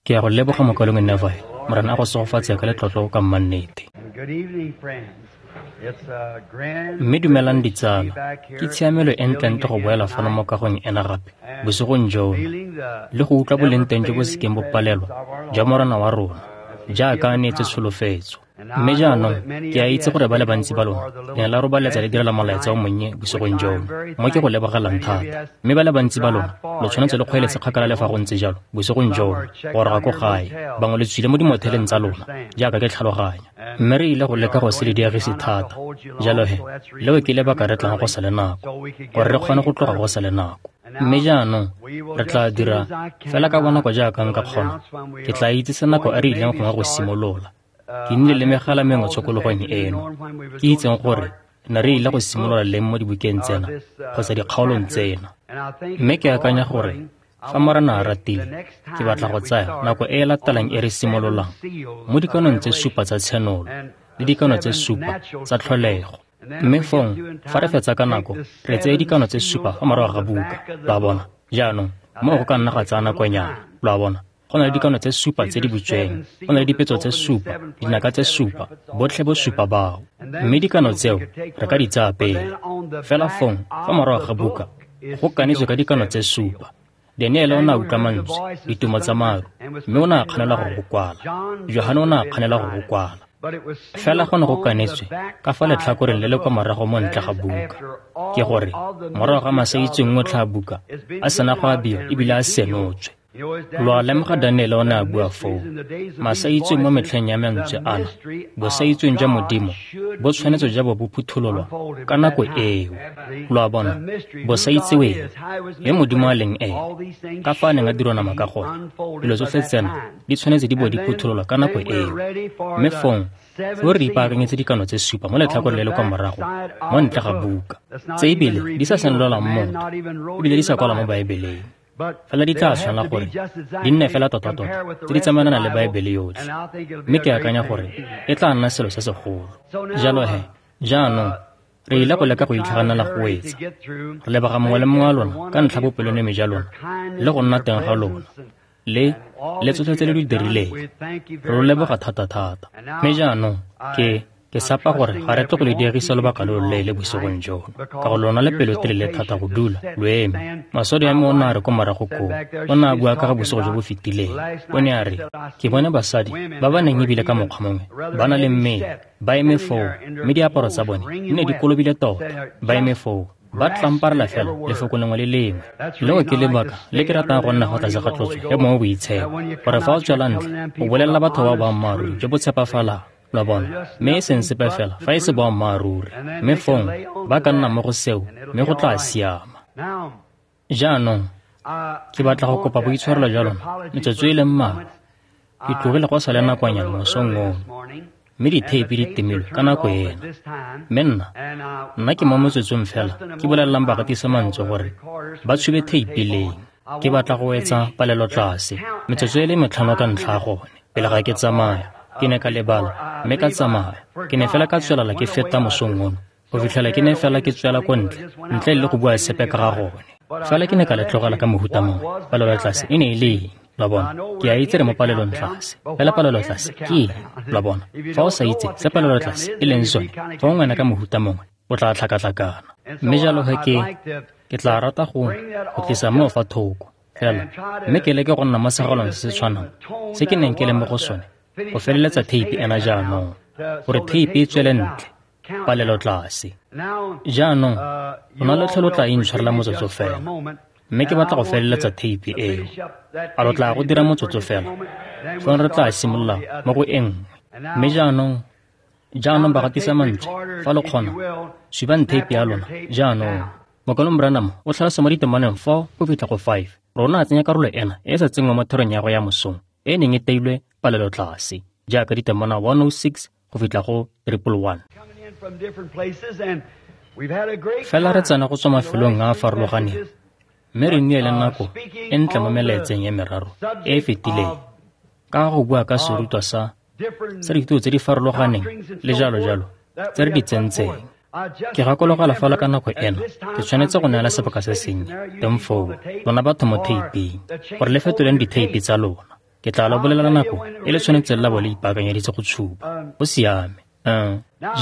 Ke a go leboga mokaulengwe Neville. Morena a go segofatse ka letlotlo ka mmannete. Mme dumelang ditsala, ke tshiamelo e ntlentle go boela fano mo kagong ena gape bosigong jono le go utlwa boleng teng jo bo sekeng bo palelwa jwa Morena wa rona jaaka a neetse tsholofetso. Mme jaanong ke a itse gore ba le bantsi ba lona le ne la robaletsa le direla molaetsa o monnye bosigong jono, mo ke go lebogelang thata. Mme ba le bantsi ba lona lo tshwanetse le kgweeletse kgakala le fa go ntse jalo bosigong jono go goroga ko gae. Bangwe le tswile mo dimotheleng tsa lona jaaka ke tlhaloganya, mme re ile go leka go se le diegise thata. Jalo he, leo ke lebaka re tlang go sa le nako, gore re kgone go tloga go sa le nako. Mme jaanong re tla dira fela ka bonako jaaka nka kgona. Ke tla itsise nako e re ileng gongwe go simolola. Ke nnile le megala mengwe tshokologong eno, ke itseng gore ne re ile go simolola leng mo dibukeng tsena kgotsa dikgaolong tsena. Mme ke akanya gore fa Morena a ratile, ke batla go tsaya nako e e latelang e re simololang mo dikanong tse supa tsa tshenolo le dikano tse supa tsa tlholego. Mme fong fa re fetsa ka nako, re tseye dikano tse supa fa morago ga buka. Lo a bona? Jaanong moo go ka nna ga tsaya nakonyana. Lo a bona? Go na le dikano tse supa tse di butsweng, go na le dipetso tse supa, dinaka tse supa, botlhe bo supa bao. Mme dikano tseo re ka di tsaya pele. Fela fong fa morago ga buka go kanetswe ka dikano tse supa. Daniele o ne a utlwa mantswe, ditumo tsa maru, mme o ne a kganela go go kwala. Johane o ne a kganela go go kwala. Fela go ne go kanetswe ka fa letlhakoreng le le kwa morago mo ntle ga buka. Ke gore morago ga masaitseweng otlhe a buka a sena go abiwa ebile a senotswe. Lo a lemoga Daniele o ne a bua foo, masaitseweng mo metlheng ya mantswe ana, bosaitseweng jwa Modimo bo tshwanetse jwa bo bo phuthololwa ka nako eo. Lo a bona, bosaitseweng, yo Modimo a leng ene, ka fa a neng a dirwa nama ka gone, dilo tsotlhe tsena di tshwanetse di bo di phuthololwa ka nako eo. Mme fong foo re ipaakanyetse dikano tse supa mo letlhakoreng le le kwa morago mo ntle ga buka, tse ebile di sa senolelwang motho, ebile di sa kwalwa mo Baebeleng. Fela di tla tshwanela gore di nne fela tota-tota tse di tsamaelana le Baebele yotlhe. Mme ke akanya gore e tla nna selo se segolo. Jalo he, jaanong re ile go leka go itlhaganela go wetsa. Re leboga mongwe le mongwe wa lona ka ntlha bopelonomi jwa lona le go nna teng ga lona le tsotlhe tse le di dirileng. Re lo leboga thata-thata. Mme jaanong ke sapa gore ga re tle go le diegisa lobaka lo loleele bosigong jono, ka go lona le pelotelele thata go dula lo eme. Maswadi a me o ne a re ko morago koo, o ne a bua ka ga bosigo jo bo fetileng. O ne a re, ke bone basadi ba ba neng ebile ka mokgwa mongwe ba na le mmele, ba eme foo, mme diaparo tsa bone di ne di kolobile tota, ba eme foo ba tlamparela fela lefoko lengwe le lengwe. Leo ke lebaka le ke ratang go nna go tlase ga tlotso ya Mowa o Boitshepo, gore fa o tswela ntle o bolelela batho ba boammaaruri jo bo tshepafalang. Lo a bona? Mme e seng sepe fela fa e se boammaaruri, mme fong ba ka nna mo go seo, mme go tla siama. Jaanong ke batla go kopa boitshwarelo jwa lona metsotso e le mmalwa. Ke tlogile go sa le nakonyana mosong ono, mme ditheipi di timilwe ka nako ena. Mme nna ke mo metsotsong fela ke bolelelang bagatisa mantswe gore ba tshube theipi leng. Ke batla go wetsa palelo tlase metsotso e le metlhano ka ntlha ya gone pele ga ke tsamaya. Ke ne ka lebala mme ka tsamaya. Ke ne fela ka tswelela ke feta mosong ono go fitlhela ke ne fela ke tswela ko ntle, ntle le go bua sepe ka ga gone. Fela ke ne ka le tlogela ka mohuta mongwe. Palelo tlase e ne e le eng? Lo a bona? Ke a itse re mo palelong tlase, fela palelo tlase ke eng? Lo a bona? Fa o sa itse se palelo tlase e leng sone, fa o ngwena ka mohuta mongwe o tla tlhakatlhakana. Mme jalo he ke tla rata go tlisa moo fa thoko fela, mme ke leke go nna mo segalong se se tshwanang se ke neng ke le mo go sone go feleletsa theipi ena jaanong, gore theipi e tswele ntle, palelo tlase. Jaanong lona lotlhe lo tla intshwarela motsotso fela, mme ke batla go feleletsa theipi eo. A lo tla go dira motsotso fela? Fong re tla simolola mo go e nngwe. Mme jaanong bagatisa mantswe, fa lo kgona, subang theipi ya lona jaanong. Mokaulengwe Branham o tlhalosa mo ditemaneng 4 go fitlha go 5. Rona a tsenya karolo ena e e sa tsenngwang mo therong ya go ya mosong, e neng e teilwe palelo tlase, jaaka ditemana 106 go fitlha go 111. Fela re tsena go tswa mafelong a a farologaneng, mme re nnile le nako e ntle mo melaetseng e meraro e e fetileng ka go bua ka serutwa sa dithuto tse di farologaneng le jalo jalo tse re di tsentseng. Ke gakologelwa fela ka nako ena ke tshwanetse go neela sebaka se sennye teng foo lona batho mo theiping, gore le fetoleng ditheipi tsa lona. Ke tla lo bolelela nako e le tshwanetseng la bo le ipaakanyeditse go tshuba. Go siame.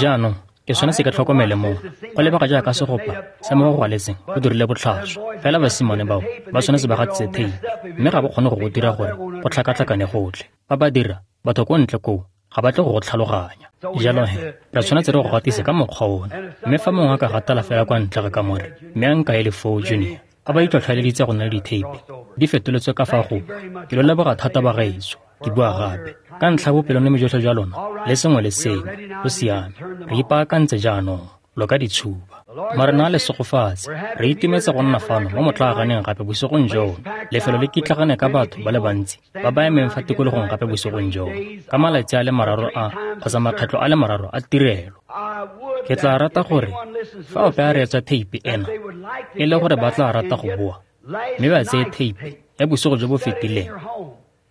Jaanong ke tshwanetse ke tlhokomele moo. Go lebega jaaka segopa sa mo go gwaletseng go dirile botlhaswa. Fela basimane bao ba tshwanetse ba gatise theipi, mme ga ba kgone go go dira gore go tlhakatlhakane gotlhe. Fa ba dira, batho ko ntle koo ga ba tle go go tlhaloganya. Jalo he, re tshwanetse re go gatise ka mokgwa ona. Mme fa mongwe a ka gatela fela kwa ntle ga kamore, mme a nkaele foo, Junior, a ba itlhotlheleditse go nna le ditheipi di fetoletswe ka fa go. Ke lo leboga thata bagaetsho, ke bua gape ka ntlha bopelonomi jotlhe jwa lona le sengwe le sengwe. Go siame, re ipaakantse jaanong, lo ka di tshuba. Morena a le segofatse. Re itumetse go nna fano mo motlaaganeng gape bosigong jono. Lefelo le kitlagane ka batho ba le bantsi ba ba emeng fa tikologong gape bosigong jono, ka malatsi a le mararo a kgotsa makgetlho a le mararo a tirelo. Ke tla rata gore fa ope a reetsa theipi ena, e le gore ba tla rata go boa mme ba tseye theipi ya bosigo jo bo fetileng,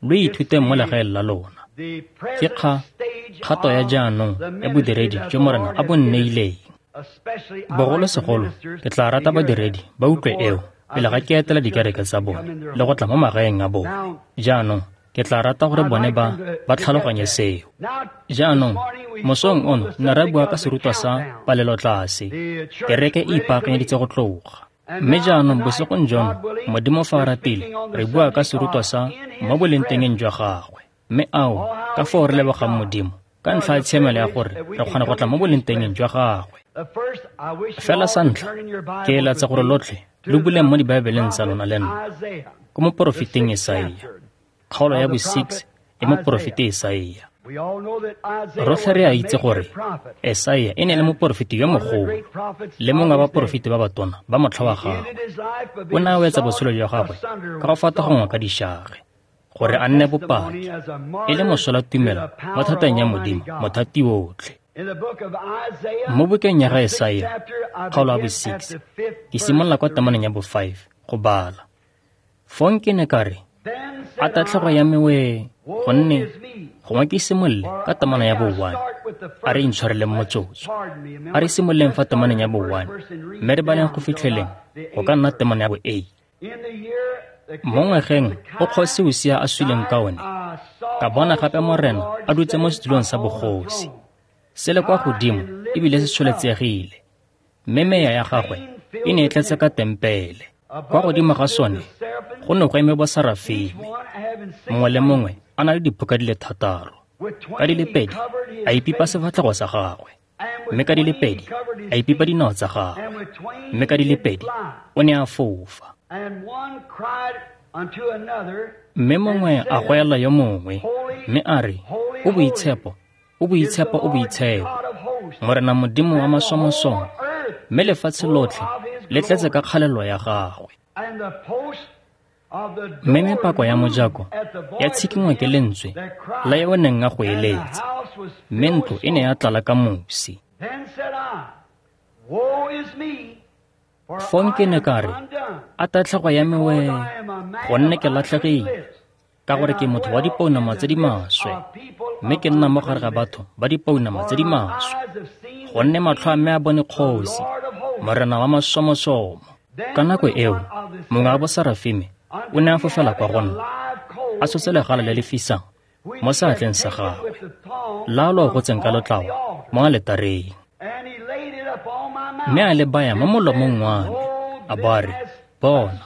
lo ithuteng mo legaeng la lona. Ke kgato ya jaanong ya bodiredi jo Morena a bo nneileng. Bogolosegolo ke tla rata badiredi ba utlwe eo pele ga ke etela dikereke tsa bone le go tla mo magaeng a bone. Jaanong ke tla rata gore bone ba tlhaloganye seo. Jaanong mosong ono ne ra bua ka serutwa sa palelotlase, kereke e ipaakanyeditse go tloga. Mme jaanong bosigong jono, Modimo fa a ratile, re bua ka serutwa sa mo bolengtengeng jwa gagwe. Mme ao, ka foo re lebogang Modimo ka ntlha ya tshiamelo ya gore re kgona go tla mo bolengtengeng jwa gagwe. Fela sa ntlha, ke eletsa gore lotlhe lo buleng mo dibaebeleng tsa lona le nna ko moporofeteng Esaia, kgaolo ya bo-6 e moporofete Esaia. Rotlhe re a itse gore Esaia e ne le moporofeti yo mogolo le mongwe wa baporofeti ba batona ba motlha wa gagwe. O ne a wetsa botshelo jwa gagwe ka go fatagongwa ka dišage gore a nne bopaki e le mosola tumelo mo thateng ya Modimo mothati otlhe. Mo bukeng ya ga Esaia, kgaolo ya bo-6, ke simolola kwa temaneng ya bo-5 go bala. Fong ke ne ka re, a tatlhego ya me wee, gonne gongwe ke simolole ka temana ya bo-1. A re intshwareleng motsotso. A re simololeng fa temaneng ya bo-1, mme re baleng go fitlheleng go ka nna temana ya bo-8. Mo ngwageng o kgosi Usia a suleng ka one, ka bona gape Morena a dutse mo setulong sa bogosi, se le kwa godimo ebile se tsholetsegile, mme meya ya gagwe e ne e tletse ka tempele. Kwa godimo ga sone go ne go eme bosarafime, mongwe le mongwe a na le diphuka di le 6. Ka di le 2 a ipipa sefatlhego sa gagwe, mme ka di le 2 a ipipa dinao tsa gagwe, mme ka di le 2 o ne a fofa. Mme mongwe a goela yo mongwe, mme a re, o boitshepo, o boitshepo, o boitshepo, Morena Modimo wa masomosomo, mme lefatshe lotlhe le tletse ka kgalelo ya gagwe. Mme mepako ya mojako ya tshikinngwa ke lentswe la yo o neng a go eletsa, mme ntlo e ne ya tlala ka mosi. Fong ke ne ka re, a tatlhego ya me wee, gonne ke latlhegile, ka gore ke motho wa dipounama tse di maswe, mme ke nna mo gare ga batho ba dipounama tse di maswe, gonne matlho a me a bone kgosi, Morena wa masomosomo. Ka nako eo, mongwe wa bosarafime o ne a fofela kwa go nna, a tshotse legala le le fisang mo seatleng sa gagwe, la lo gotseng ka lotlao mo aletareng. Mme a le baya mo molomong wa me, a bo a re, bona,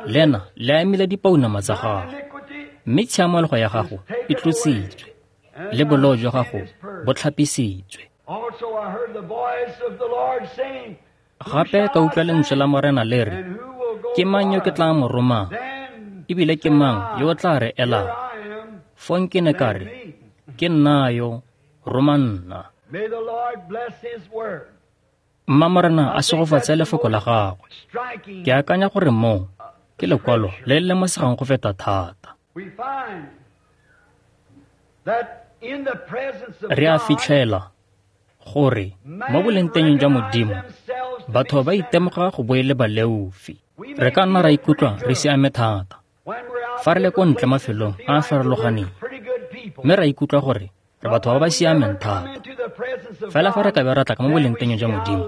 lena le amile dipounama tsa gago, mme tshiamologo ya gago e tlositswe, le boleo jwa gago bo tlhapisitswe. Gape ka utlwa lentswe la Morena le re, ke mang yo ke tla mo romang, ebile ke mang yo o tla re elang? Fong ke ne ka re, ke nna yo, roma nna. Mma Morena a segofatse lefoko la gagwe. Ke akanya gore moo ke lekwalo le le lemosegang go feta thata. Re a fitlhela gore mo bolengtengeng jwa Modimo batho ba itemoga go bo e le baleofi. Re ka nna ra ikutlwa re siame thata fa re le ko ntle mafelong a a farologaneng, mme ra ikutlwa gore re batho ba ba siameng thata. Fela fa re ka be ra tla ka mo bolengtengeng jwa Modimo,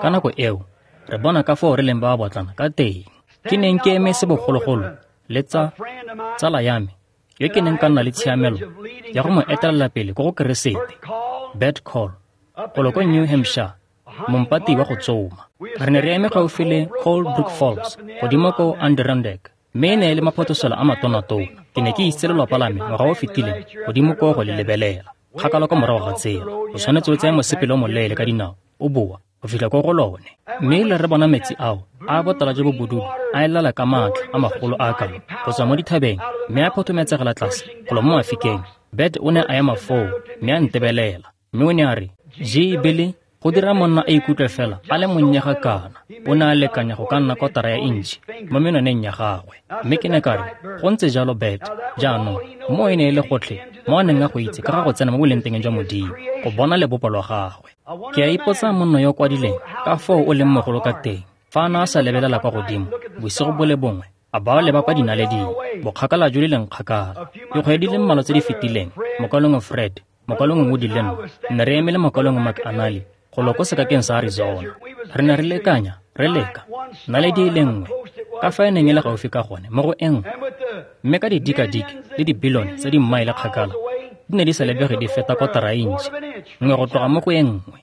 ka nako eo re bona ka foo re leng ba ba botlana ka teng. Ke neng ke eme se bogologolo le tsala ya me yo ke neng ka nna le tshiamelo ya go mo etelela pele ko go Keresete, Bert Call, golo ko New Hampshire, mompati wa go tsoma. Re ne re eme gaufi le Cold Brook Falls, godimo ko Adirondack, mme e ne e le maphotoselo a matonatona. Ke ne ke itse lelwapa la me ngwaga o fetileng godimo koo go le lebelela. Kgakala kwa morago ga tsela, o tshwanetse o tseye mosepele o moleele ka dinao, o boa go fitlha ko go lone. Mme le re bona metsi ao a botala jo bo bodudu a elela ka maatla a magolo a kalo go tswa mo dithabeng, mme a phothometsegela tlase golo mo mafikeng. Bert o ne a ema foo mme a ntebelela, mme o ne a re, "Gee, Billy, go dira monna a ikutlwe fela a le monnye ga kana." O ne a lekanya go ka nna kotara ya intšhi mo menwaneng ya gagwe. Mme ke ne ka re, "Go ntse jalo, Bert. Jaanong mo e ne e le gotlhe mo a neng a go itse ka ga go tsena mo bolengtengeng jwa Modimo, go bona lebopo lwa gagwe." Ke a ipotsa monna yo kwadileng ka foo o leng mogolo ka teng, fa a ne a sa lebelela kwa godimo bosigo bo le bongwe, a ba leba kwa dinaleding, bokgakala jo le leng kgakala. Dikgwedi di le mmalwa tse di fetileng, mokalengwe Fred, mokalengwe Woody le nna, ne re eme le mokalengwe McAnally golo ko sekakeng sa Arizona. Re ne re lekanya, re leka naledi e le nngwe ka fa e neng e le gaufi ka gone mo go e nngwe, mme ka didikadike le dibilione tsa dimmaele kgakala di ne di sa lebege di feta kotara ya intšhi nngwe go tloga mo go e nngwe.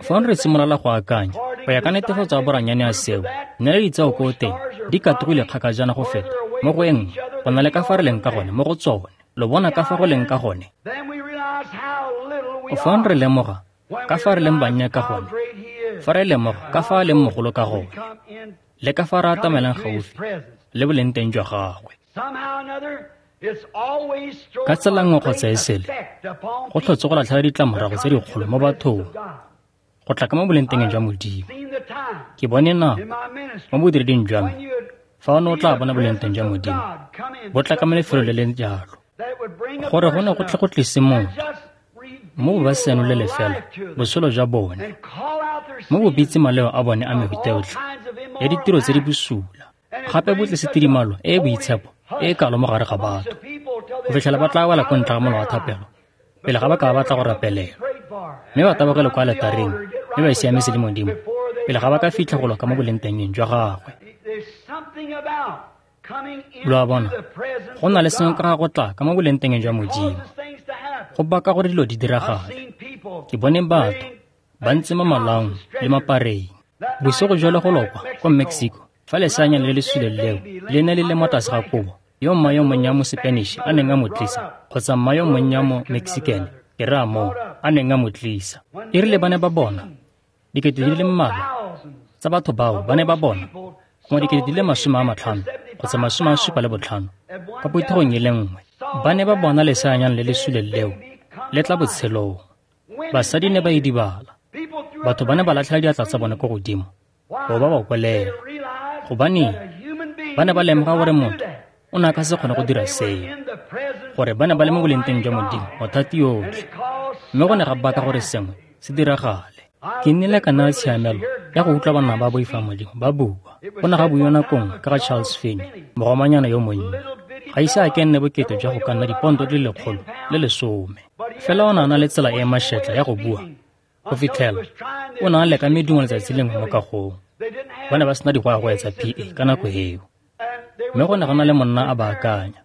Fong re simolola go akanya go ya ka netefatso ya boranyane ya seo, naledi tseo ko teng di katogile kgakajana go feta mo go e nngwe go na le ka fa re leng ka gone mo go tsone. Lo bona ka fa go leng ka gone? Fong re lemoga ka fa re leng bannye ka gone, fa re lemoga ka fa a leng mogolo ka gone, le ka fa re atamelang gaufi le boleng teng jwa gagwe. Ka tsela nngwe kgotsa e sele, go tlhotse go latlhela ditlamorago tse dikgolo mo bathong go tla ka mo boleng teng jwa Modimo. Ke bone nako mo bodireding jwa me fa o ne o tla bona boleng teng jwa Modimo bo tla ka mo lefelong le le jalo, gore go ne go tle go tlise motho mo ba senolele fela botshelo jwa bone, mo bo bitse maleo a bone a mehuta yotlhe ya ditiro tse di bosula, gape bo tlise tidimalo e e boitshepo e e kalo mo gare ga batho, go fitlhela ba tla wela ko ntle ga molao wa thapelo pele ga ba ka ba batla go rapelelwa, mme ba tabogele kwa aletareng mme ba siametse le Modimo pele ga ba ka fitlha go loka mo bolengtengeng jwa gagwe. Lo a bona, go na le sengwe ka ga go tla ka mo bolengtengeng jwa Modimo, go baka gore dilo di diragale. Ke bone batho ba ntse mo malaong le mapareng bosigo jwa le go lokwa kwa Mexico, fa leseanyana le le suleng leo le ne le le mo tlase ga kobo yo mma yo monnye wa mo Spanish a neng a mo tlisa, kgotsa mma yo monnye wa mo Mexican, ke raya moo, a neng a mo tlisa. E rile ba ne ba bona dikete di le mmalwa tsa batho bao, ba ne ba bona gongwe dikete di le 50 kgotsa 75 kwa phuthegong e le nngwe, ba ne ba bona leseanyana le le suleng leo le tla botshelong. Basadi ne ba idibala, batho ba ne ba latlhela diatla tsa bone ko godimo go ba ba kolela, gobane ba ne ba lemoga gore motho o ne a ka se kgone go dira seo, gore ba ne ba le mo bolengteng jwa Modimo mothati yotlhe, mme go ne ga baka gore sengwe se diragale. Ke nnile ka nna tshiamelo ya go utlwa banna ba boifang Modimo ba bua. Go ne ga buiwa nako nngwe ka ga Charles Finney, mogomanyana yo monnye. Ga ise a ke nne bokete jwa go ka nna diponto di le 110, fela o ne a na le tsela e e mašetla ya go bua go fitlhela o ne a leka medumo letsatsi lengwe mo kagong. Ba ne ba sena digwagwe tsa PA ka nako eo, mme go ne go na le monna a baakanya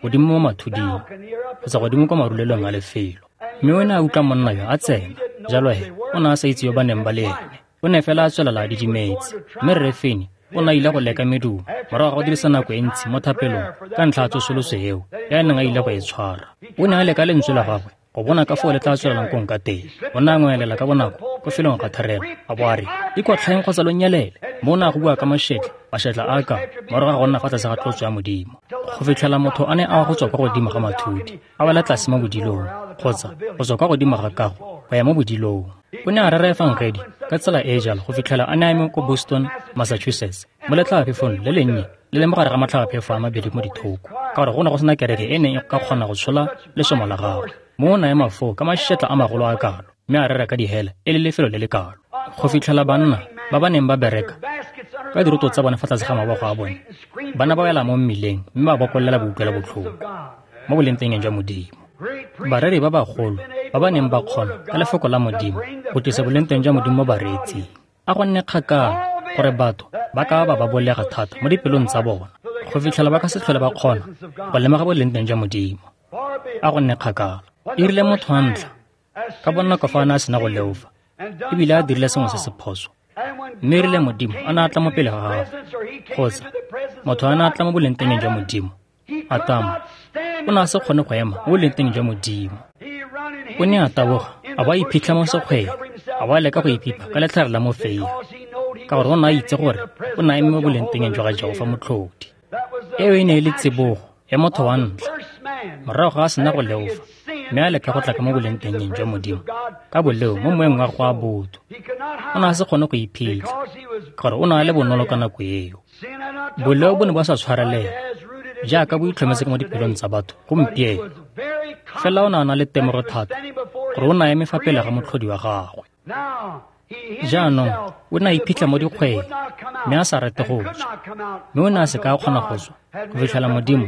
godimo mo mathuding kgotsa godimo kwa marulelong a lefelo, mme o ne a utlwa monna yo a tsena. Jalo he o ne a sa itse yo ba neng ba le ene, o ne fela a tswelela a didimetse. Mme Rre Finney o ne a ile go leka medumo morago ga go dirisa nako e ntsi mo thapelong ka ntlha ya tsosoloso eo ya neng a ile go e tshwara. O ne a leka lentswe la gagwe go bona ka foo le tla tswelelang kong ka teng. O ne a ngwelela ka bonako ko felong ga therelo, a bo a re, "Ikotlhaeng kgotsa lo nyelele." Mo o ne a go bua ka mašetla a ka morago ga go nna fa tlase ga tlotso ya Modimo, go fitlhela motho a ne a wa go tswa kwa godimo ga mathudi a wela tlase mo bodilong, kgotsa go tswa kwa godimo ga kago go ya mo bodilong. O ne a rera efangedi ka tsela e e jalo go fitlhela a ne a eme ko Boston, Massachusetts, mo letlhabaphefong le lennye le le mo gare ga matlhabaphefo a mabedi mo dithoko, ka gore go ne go sena kereke e neng e ka kgona go tshola lesomo la gagwe. Mo o ne a ema foo ka mašetla a magolo a kalo, mme a rera ka dihele e le lefelo le le kalo, go fitlhela banna ba ba neng ba bereka ka diroto tsa bone fa tlase ga mabogo a bone ba ne ba wela mo mmileng mme ba bokolela boutlwela botlhoko mo bolengtengeng jwa Modimo. Bareri ba bagolo ba ba neng ba kgona ka lefoko la Modimo go tlisa bolengteng jwa Modimo mo bareetsing, a go nne kgakala gore batho ba ka ba ba bolega thata mo dipelong tsa bona, Go fitlhela ba ka se tlhole ba kgona go lemoga boleng teng jwa Modimo. A go nne kgakala. E rile motho wa ntlha, ka bonako fa a ne a sena go leofa, ebile a dirile sengwe se se phoso, mme e rile Modimo a ne a tla mo pele ga gagwe, kgotsa motho a ne a tla mo boleng teng jwa Modimo, Atamo o ne a se kgone go ema mo boleng teng jwa Modimo. O ne a taboga, a bo a iphitlha mo sekgweng, a bo a leka go iphipa ka letlhare la mofeia, ka gore o ne a itse gore o ne a eme mo boleng teng jwa ga Jehofa Motlhodi. Eo e ne e le tsibogo ya motho wa ntlha, morago ga a sena go leofa, mme a leka go tla ka mo boleng teng jwa Modimo ka boleo mo moeng wa go a botho. O ne a se kgone go iphitlha, ka gore o ne a le bonolo ka nako eo. Boleo bo ne bo sa tshwarelela jaaka bo itlhometse ka mo dipelong tsa batho gompieno. Fela o ne a na le temogo thata gore o ne a eme fa pele ga Motlhodi wa gagwe. Jaanong o ne a iphitlha mo dikgweng, mme a sa rate go tswa, mme o ne a se ka a kgona go tswa go fitlhela Modimo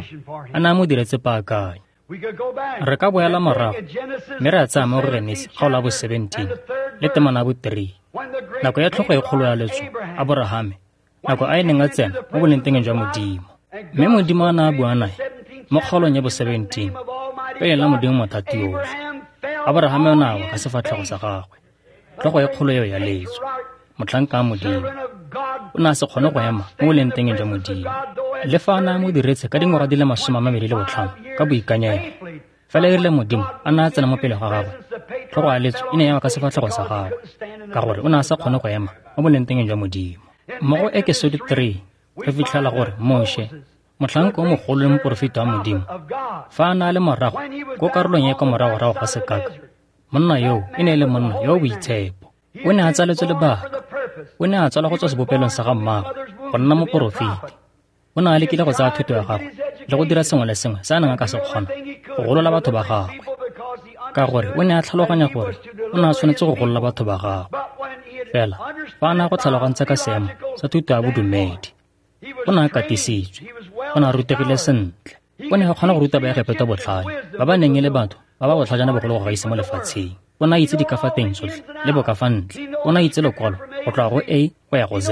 a ne a mo diretse paakanyo. Re ka boela morago mme re a tsaya mo go Genesi kgaolo ya bo 17 le temana ya bo 3, nako ya tlhogo e kgolo ya letso, Aborahame, nako a e neng a tsena mo boleng teng jwa Modimo. Mme Modimo a ne a bua nae mo kgaolong ya bo 17, pele la Modimo Mothati yotlhe. Aborahame o ne a wa ka sefatlhego sa gagwe, tlhogo e kgolo eo ya letso, motlhanka wa Modimo. O ne a se kgone go ema mo boleng teng jwa Modimo, le fa a ne a mo diretse ka dingwaga di le 25 ka boikanyego. Fela e rile Modimo a ne a tsena mo pele ga gagwe, tlhogo ya letso e ne ya wa ka sefatlhego sa gagwe, ka gore o ne a sa kgone go ema mo boleng teng jwa Modimo. Mo go Exodus 3 re fitlhela gore Moshe, motlhanka o mogolo le moporofeta wa Modimo, fa a ne a le morago ko karolong ya kwa moragorago ga sekaka, monna yoo e ne e le monna yo o boitshepo. O ne a tsaletswe lebaka. O ne a tsalwa go tswa sebopelong sa ga mmaagwe go nna moporofeti. O ne a lekile go tsaya thuto ya gagwe le go dira sengwe le sengwe se a neng a ka se kgona go golola batho ba gagwe, ka gore o ne a tlhaloganya gore o ne a tshwanetse go golola batho ba gagwe. Fela fa a ne a go tlhalogantse ka seemo sa thuto ya bodumedi, o ne a katisitswe, o ne a rutegile sentle. O ne a kgona go ruta Baegepeto botlhale, ba ba neng e le batho ba ba botlhajana bogolo go gaisa mo lefatsheng. O ne a itse dikafateng tsotlhe le bokafantle. O ne a itse lekwalo go tloga go A go ya go Z.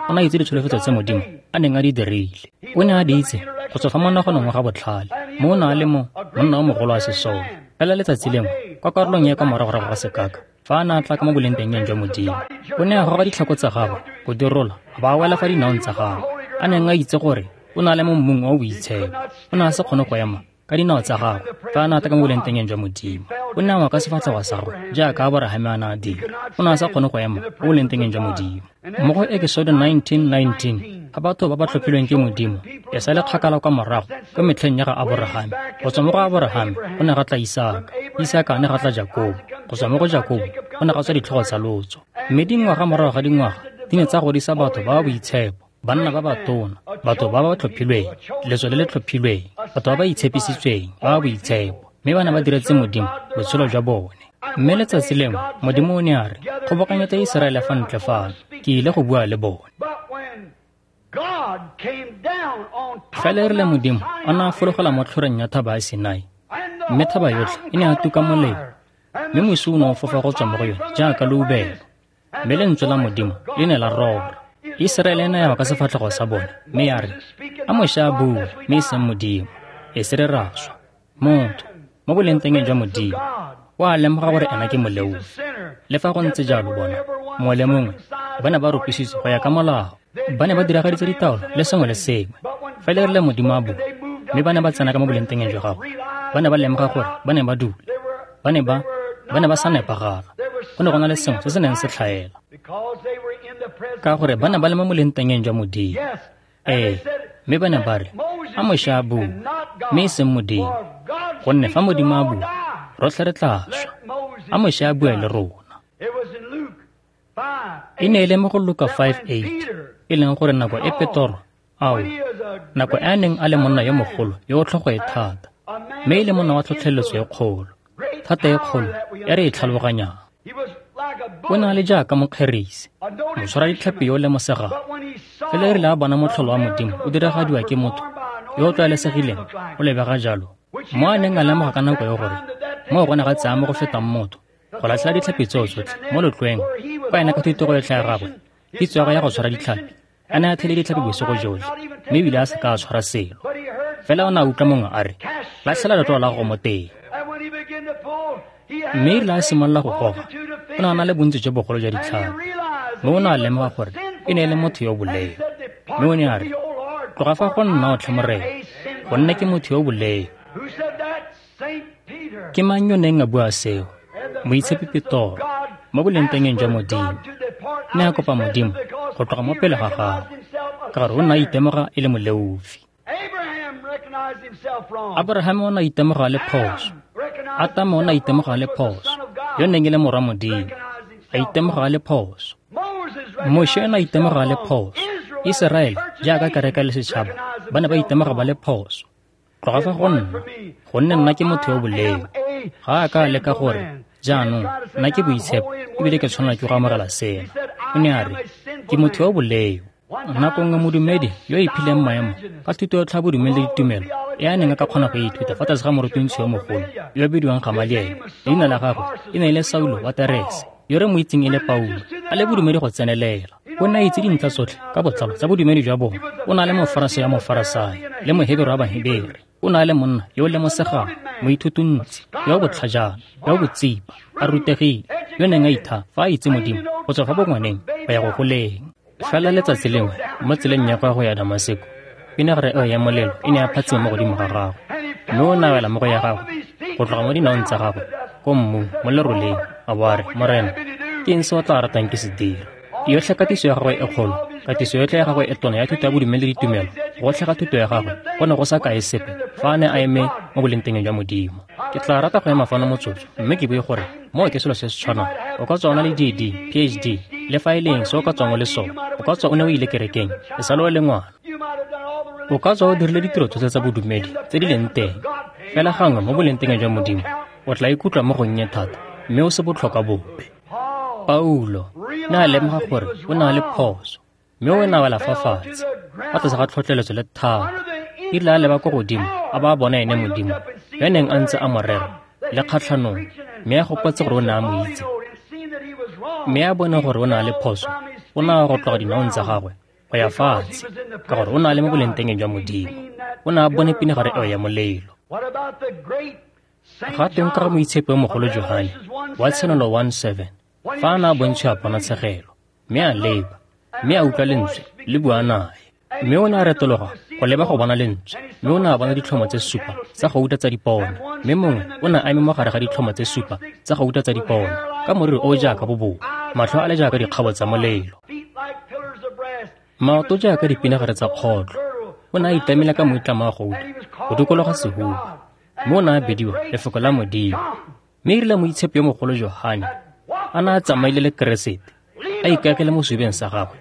O ne a itse ditsholofetso tse Modimo a neng a di dirile. O ne a di itse go tswa fa monaganong wa ga botlhale, mo o ne a le mo monna o mogolo wa sesole. Fela letsatsi lengwe, kwa karolong ya kwa moragorago ga sekaka, fa a ne a tla ka mo boleng teng jwa Modimo, o ne a goga ditlhako tsa gagwe go di rola, a ba a wela fa dinaong tsa gagwe, a neng a itse gore o ne a le mo mmung o o boitshepo. O ne a se kgone go ema ka dinao tsa gagwe fa a ne a tla ka mo boleng teng jwa Modimo. O ne a wa ka sefatlhego sa gagwe jaaka Aborahame a ne a dira. O ne a sa kgone go ema mo boleng teng jwa Modimo. Mo go Exodus 19:19, ga batho ba ba tlhophilweng ke Modimo e sa le kgakala kwa morago kwa metlheng ya ga Aborahame. Go tswa mo go Aborahame go ne ga tla Isaka, Isaka a ne ga tla Jakobo, go tswa mo go Jakobo go ne ga tswa ditlhogo tsa lotso. Mme dingwaga morago ga dingwaga di ne tsa godisa batho ba ba boitshepo, banna ba batona, batho ba ba tlhophilweng, letso le le tlhophilweng, batho ba ba itshepisitsweng, ba ba boitshepo, mme ba ne ba diretse Modimo botshelo jwa bone. Mme letsatsi lengwe Modimo o ne a re, kgobokanyetsa Iseraele fa ntle fano, ke ile go bua le bone. Fela e rile Modimo a ne a fologela mo tlhoreng ya thaba ya Sinai, mme thaba yotlhe e ne a tuka molelo, mme mosi o ne o fofa go tswa mo go yone jaaka leubelo, mme lentswe la Modimo le ne la rora. Iseraele e ne ya wa ka sefatlhego sa bone, mme ya re, a Moshe a bue, mme e seng Modimo, e se re ra swa. Motho mo boleng teng jwa Modimo o a lemoga gore ena ke moleofi. Le fa go ntse jalo, bona mongwe le mongwe ba ne ba ropisitswe go ya ka molao, ba ne ba diragaditse ditaolo le sengwe le sengwe. Fela e rile Modimo a bua, mme ba ne ba tsena ka mo boleng teng jwa gagwe, ba ne ba lemoga gore ba ne ba dula, ba ne ba sa nepagala. Go ne go na le sengwe se se neng se tlhaela, ka gore ba ne ba le mo boleng teng jwa Modimo. Ee, mme ba ne ba re, a Moshe a bue, mme e seng Modimo, gonne fa Modimo a bua, rotlhe re tla swa. A Moshe a bue le rona. E ne e le mo go Luka 5:8, e leng gore nako e Petoro, ao, nako e a neng a le monna yo mogolo yo o tlhogo e thata, mme e le monna wa tlhotlheletso e kgolo, thata e kgolo e re e tlhaloganyang. O ne a le jaaka mokgerisi, motshwara ditlhapi yo o lemosegang. Fela e rile a bona motlholo wa Modimo o diragadiwa ke motho yo o tlwaelesegileng o lebega jalo, mo a neng a lemoga ka nako e gore moo go ne ga tsaya mo go fetang motho go latlhela ditlhapi tseo tsotlhe mo letlweng, kwa ena ka thutego yotlhe ya gagwe, kitso ya go ya go tshwara ditlhapi A ne a thele ditlhapi bosigo jotlhe, mme ebile a se ka a tshwara selo. Fela o ne a utlwa mongwe a re, latlhela letloa la gago mo teng. Mme erile a simolola go goga, o ne a na le bontsi jo bogolo jwa ditlhapi. Mme o ne a lemoga gore e ne e le motho yo o boleo. Mme o ne a re, tloga fa go nna otlhe Morena, gonne ke motho yo o boleo. Ke mang yo neng a bua seo? Moitshepi Petoro, mo bolengtengeng jwa Modimo. Ne a kopa Modimo go tloga mo pele ga gagwe, ka gore o ne a itemoga e le moleofi. Abraham o ne a itemoga a le phoso. Atamo o ne a itemoga a le phoso, yo neng e le morwa Modimo, a itemoga a le phoso. Moshe o ne a itemoga a le phoso. Iseraele, jaaka kereke le setšhaba, ba ne ba itemoga ba le phoso. Tloga fa go nna, gonne nna ke motho yo boleo. Ga a ka a leka gore, jaanong nna ke boitshepo ebile ke tshwanela ke go amogela sena. O ne a re, ke motho yo boleo. Nako nngwe modumedi yo o iphileng maemo ka thuto ya tlhabodumedi le ditumelo e a neng a ka kgona go ithuta fa tlase ga morutuntshi yo mogolo yo o bidiwang Gamaliele, leina la gagwe e ne e le Saulo wa Terese, yo re mo itseng e le Paulo, a le bodumedi go tsenelela. O ne a itse dintlha tsotlhe ka botlalo tsa bodumedi jwa bone. O ne a le Mofarasai wa Mofarasai le Mohebere wa Bahebere. O ne a le monna yo o lemosegang, moithutuntsi, yo o botlhajana, yo o botsipa, a rutegile, yo neng a itha fa a itse Modimo go tswa fa bongwaneng go ya go goleng. Fela letsatsi lengwe mo tseleng ya gagwe go ya Damaseko, pinagare eo ya molelo e ne ya phatsima mo godimo ga gagwe, mme o ne a wela mo go ya gagwe go tloga mo dinaong tsa gagwe ko mmung mo leroleng, a bo a re, Morena, ke eng se o tla ratang ke se dira? Yotlhe katiso ya gagwe e kgolo, katiso yotlhe ya gagwe e tona ya thuto ya bodumedi le ditumelo, gotlhe ga thuto ya gagwe go ne go sa kae sepe fa a ne a eme mo bolengtengeng jwa Modimo. Ke tla rata go ema fano motsotso mme ke bue gore moo ke selo se se tshwanang. O ka tswa o na le DD, PhD, le fa e leng se o ka tswang o le sone. O ka tswa o ne o ile kerekeng e sa le o le ngwana. O ka tswa o dirile ditiro tsotlhe tsa bodumedi tse di leng teng. Fela gangwe mo bolengtengeng jwa Modimo, o tla ikutlwa mo gonnye thata mme o se botlhokwa bope. Paulo ne a lemoga gore o ne a le phoso, mme o ne a wela fa fatshe fa tlase ga tlhotlheletso le thata. Erile a leba ko godimo a ba a bona ene Modimo yo neng a ntse a mo rera le kgatlhanong, mme a gopotse gore o ne a mo itse, mme a bone gore o ne a le phoso, o ne a go tloga dinaong tsa gagwe go ya fatshe, ka gore o ne a le mo bolengtengeng jwa Modimo. O ne a bone pinagare eo ya molelo. Ga teng ka ga moitshepi yo mogolo Johane wa Tshenolo 1:7, fa a ne a bontshiwa ponatshegelo, mme a leba, mme a utlwa lentswe le bua nae. Mme o ne a retologa go leba go bona lentswe, mme o ne a bona ditlhomo tse supa tsa gouta tsa dipone, mme mongwe o ne a eme mo gare ga ditlhomo tse supa tsa gouta tsa dipone, ka moriri o jaaka boboa, matlho a le jaaka dikgabo tsa molelo, maoto jaaka dipinagare tsa kgotlho. O ne a itamela ka moitlamo wa gouta go dikologa sehuba, mme o ne a bidiwa Lefoko la Modimo. Mme erile moitshepi yo mogolo Johane a ne a tsamaile le Keresete, a ikaegile mo sebeng sa gagwe,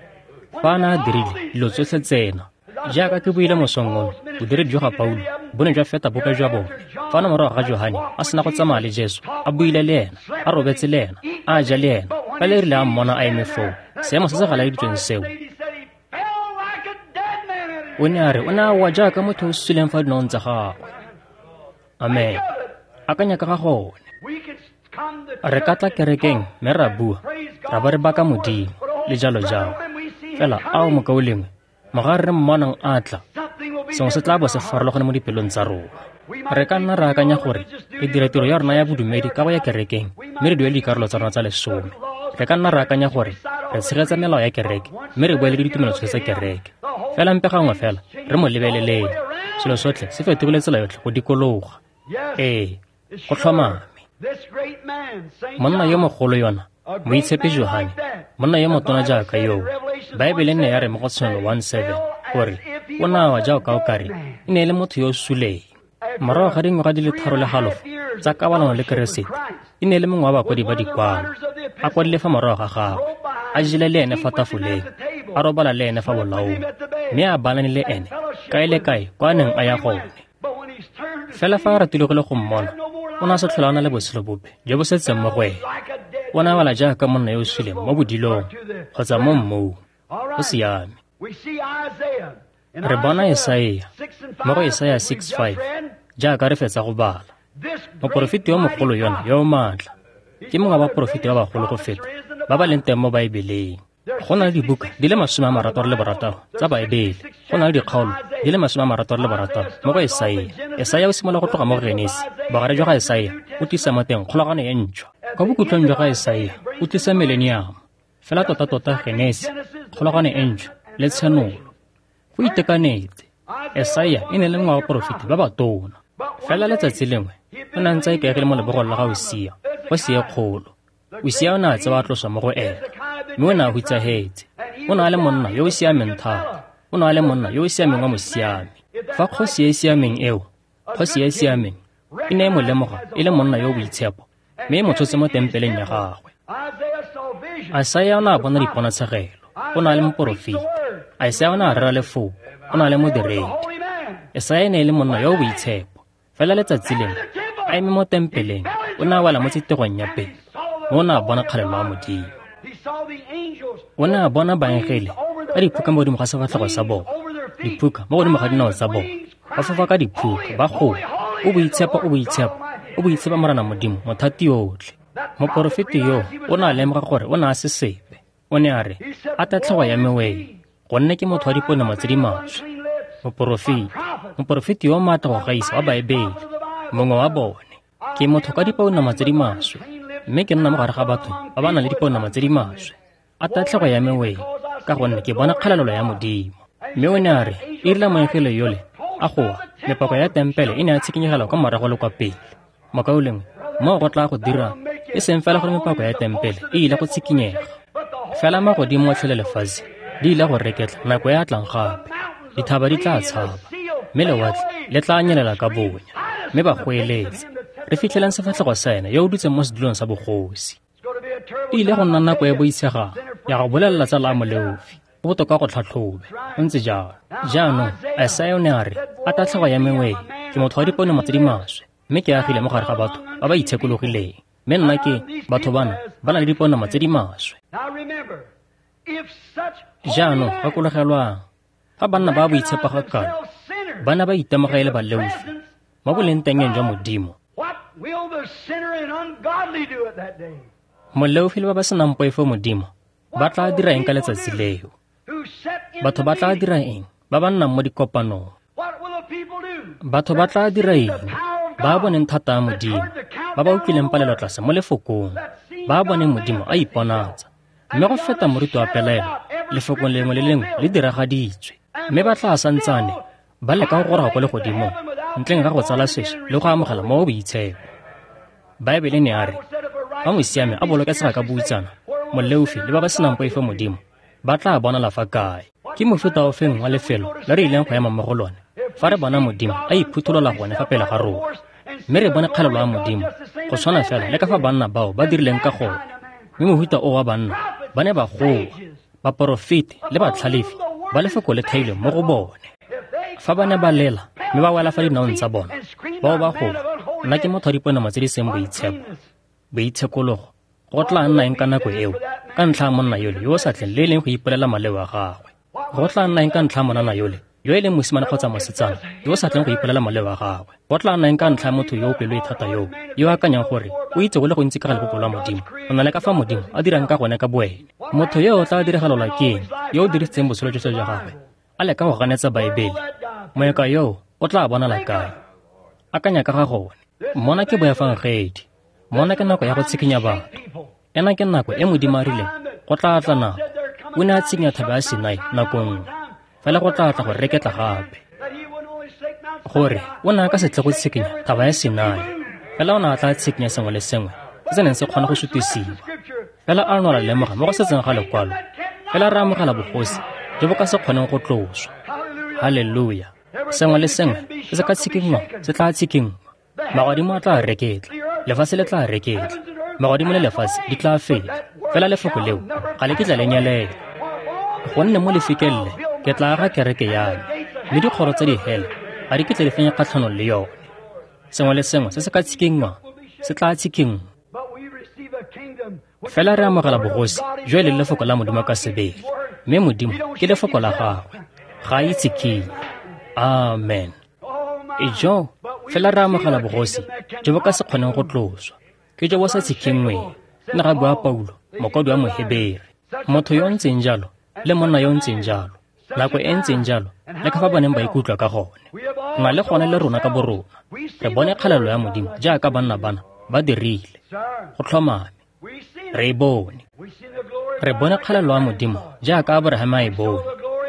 fa a ne a dirile dilo tsotlhe tsena, jaaka ke buile mosong ono, bodiredi jwa ga Paulo bo ne jwa feta bope jwa bone. Fa na morago ga Johane a sena go tsamaya le Jesu, a buile le ena, a robetse le ena, a ja le ena, fela erile a mmona a eme foo, seemo se se galaeditsweng seo, o ne a re o ne a wa jaaka motho o suleng fa dinaong tsa gagwe. Amen. Akanya ka ga gone. Re ka tla kerekeng mme ra bua, ra ba re baka Modimo le jalo jalo. Fela ao mokaulengwe, mogare re mmonang a tla, sengwe se tla bo se farologane mo dipelong tsa rona. Re ka nna ra akanya gore re dira tiro ya rona ya bodumedi ka go ya kerekeng mme re duele dikarolo tsa rona tsa lesome. Re ka nna ra akanya gore re tshegetsa melao ya kereke mme re boele le ditumelo tsotlhe tsa kereke. Fela mpe gangwe fela re mo lebeleleng, selo sotlhe se fetogile tsela yotlhe go dikologa. Ee, go tlhomame. Monna yo mogolo yona, moitshepi Johane, monna yo motona jaaka yoo, Baebele ne ya re mo go Tshenolo 1:7 gore o ne a wa jaaka o kare e ne e le motho yo o suleng. Morago ga dingwaga di le 3.5 tsa kabalano le Keresete, e ne e le mongwe wa bakwadi ba dikwalo, a kwadile fa morago ga gagwe, a jele le ene fa tafoleng, a robala le ene fa bolaong, mme a balane le ene kae le kae kwa a neng a ya gone. Fela fa a ratile go mmona, o ne a sa tlhola a na le botshelo bope jo bo setseng mo go ene. O ne a wela jaaka monna yo o suleng mo bodilong kgotsa mo mmung. Go siame. Re bona Esaia mo go Esaia 6:5, jaaka re fetsa go bala. Moporofeti yo mogolo yona yo o maatla ke mongwe wa baporofeti ba bagolo go feta ba ba leng teng mo Baebeleng. Go na le dibuka di le 66 tsa Baebele. Go na le dikgaolo di le 66 mo go Esaia. Esaia o simolola go tloga mo go Genesi. Bogare jwa ga Esaia o tlisa mo teng kgolagano e ntšhwa. Kwa bokhutlong jwa ga Esaia o tlisa mileniamo. Fela tota-tota Genesi, kgolagano e ntšhwa le tshenolo. Go itekanetse. Esaia e ne le mongwe wa baporofeti ba batona. Fela letsatsi lengwe o ne a ntse a ikaegile mo lebogong la ga Usia, kgosi e kgolo. Usia o ne a tsewa a tloswa mo go ena, mme o ne a hutsahetse. O ne a le monna yo o siameng thata. O ne a le monna yo o siameng wa mosiami. Fa kgosi e e siameng eo, kgosi e e siameng, e ne e mo lemoga e le monna yo o boitshepo, mme e mo tshotse mo tempeleng ya gagwe. Isaia o ne a bona diponatshegelo. O ne a le moporofeti. Isaia o ne a rera lefoko. O ne a le modiredi. Isaia e ne e le monna yo o boitshepo. Fela letsatsi lengwe, a eme mo tempeleng, o ne a wela mo tsitegong ya pelo, mme o ne a bona kgalelo ya Modimo. O ne a bona baengele ka diphuka mo godimo ga sefatlhego sa bona, diphuka mo godimo ga dinao tsa bona, ba fofa ka diphuka, ba goa, O boitshepo, o boitshepo, o boitshepo Morena Modimo, mothati yotlhe. Moporofeti yo o ne a lemoga gore o ne a se sepe. O ne a re, A tatlhego ya me wee, gonne ke motho wa dipounama tse di maswe. Moporofeti, moporofeti yo o maatla go gaisa wa Baebele, mongwe wa bone. Ke motho ka dipounama tse di maswe, mme ke nna mo gare ga batho ba ba nang le dipounama tse di maswe. A tatlhego ya me wee, ka gonne ke bona kgalalelo ya Modimo. Mme o ne a re, e rile moengele yole a goa, mepako ya tempele e ne ya tshikinyegela kwa morago le kwa pele. Mokaulengwe, moo go tla go dira e seng fela gore mepako ya tempele e ile go tshikinyega, fela magodimo otlhe le lefatshe di ile go reketla nako e a tlang gape. Dithaba di tla tshaba, mme lewatle le tla nyelela ka bonya, mme ba goeletse, re fitlheleng sefatlhego sa ene yo o dutseng mo sedulong sa bogosi. E ile go nna nako e boitshegang ya go bolelela tsala a moleofi, go botoka go tlhatlhobe. Go ntse jalo. Jaanong Isaia o ne a re, A tatlhego ya me wee, ke motho wa dipounama tse di maswe, mme ke agile mo gare ga batho ba ba itshekologileng, mme nna ke batho bana ba na le dipounama tse di maswe. Jaanong gakologelwang, fa banna ba boitshepo ga kalo ba ne ba itemoga e le baleofi mo bolengtengeng jwa Modimo, moleofi le ba ba senang poifo Modimo ba tla dira eng ka letsatsi leo? Batho ba tla dira eng ba ba nnang mo dikopanong? Batho ba tla dira eng ba boneng thata ya Modimo, ba ba utlwileng palelo tlase mo lefokong, ba boneng Modimo a iponatsa, mme go feta moriti wa pelaelo, lefokong lengwe le lengwe le diragaditswe, mme ba tla santsane ba leka go goroga kwa legodimong ntleng ga go tsala sešwa le go amogela mo boitshepo. Baebele ne a re, fa mosiami a bolokesega ka boutsana, moleofi le ba ba senang poifo Modimo ba tla bonala fa kae? Ke mofuta ofeng wa lefelo le re ileng go ema mo go lone fa re bona Modimo a iphutholola gone fa pele ga rona, mme re bone kgalelo ya Modimo go tshwana fela le ka fa banna bao ba dirileng ka gone. Mme mofuta o wa banna ba ne ba goa, baporofeti le batlhalefi ba lefoko le thailweng mo go bone. Fa ba ne ba lela mme ba wela fa dinaong tsa bona, bao ba goa, nna ke motho wa dipounama tse di seng boitshepo. Boitshekologo go tla nna eng ka nako eo ka ntlha ya monna yole yo o sa tleng le e leng go ipolela maleo a gagwe? Go tla nna eng ka ntlha ya monana yole yo e leng mosimane kgotsa mosetsana yo o sa tleng go ipolela maleo a gagwe? Go tla nna eng ka ntlha ya motho yo o pelo e thata yoo, yo o akanyang gore o itse go le gontsi ka ga lebopo lwa Modimo go na le ka fa Modimo a dirang ka gone ka boene? Motho yo o tla diragalelwa ke eng yo o dirisitseng botshelo jotlhe jwa gagwe a leka go ganetsa Baebele? Moeka yoo o tla bonala kae? Akanya ka ga gone. Mona ke boefangedi. Mona ke nako ya go tshikinya batho. Ena ke nako e Modimo a rileng go tla tla nako. O ne a tshikinya thaba ya Sinai nako nngwe, fela go tla tla go reketla gape. Gore o ne a ka se tle go tshikinya thaba ya Sinai, fela o ne a tla tshikinya sengwe le sengwe se se neng se kgona go sutisiwa. Fela a no ra lemoga mo go setseng ga lekwalo, fela re amogela bogosi jo bo ka se kgoneng go tloswa. Haleluya! Sengwe le sengwe se se ka tshikinngwang se tla tshikinngwa. Magodimo a tla reketla, lefatshe le tla reketla, magodimo le lefatshe di tla fela, fela lefoko leo ga le kitla le nyelela. Gonne mo lefikeng le ke tla aga kereke ya me, mme dikgoro tsa dihele ga di kitla di fenya kgatlhanong le yone. Sengwe le sengwe se se ka tshikinngwang se tla tshikinngwa. Fela re amogela bogosi jo e leng lefoko la Modimo ka sebele, mme Modimo ke lefoko la gagwe, ga a itshikinye. Amen. Ejo, fela re amogela bogosi jo bo ka se kgoneng go tloswa, ke jo bo sa tshikinngweng, ne ga bua Paulo, mokwadi wa Mohebere. Motho yo o ntseng jalo le monna yo o ntseng jalo, nako e ntseng jalo, le ka fa ba neng ba ikutlwa ka gone. Na le gone le rona ka borona re bone kgalelo ya Modimo jaaka banna bana ba dirile. Go tlhomame, re e bone. Re bone kgalelo ya Modimo jaaka Abraham a e bone.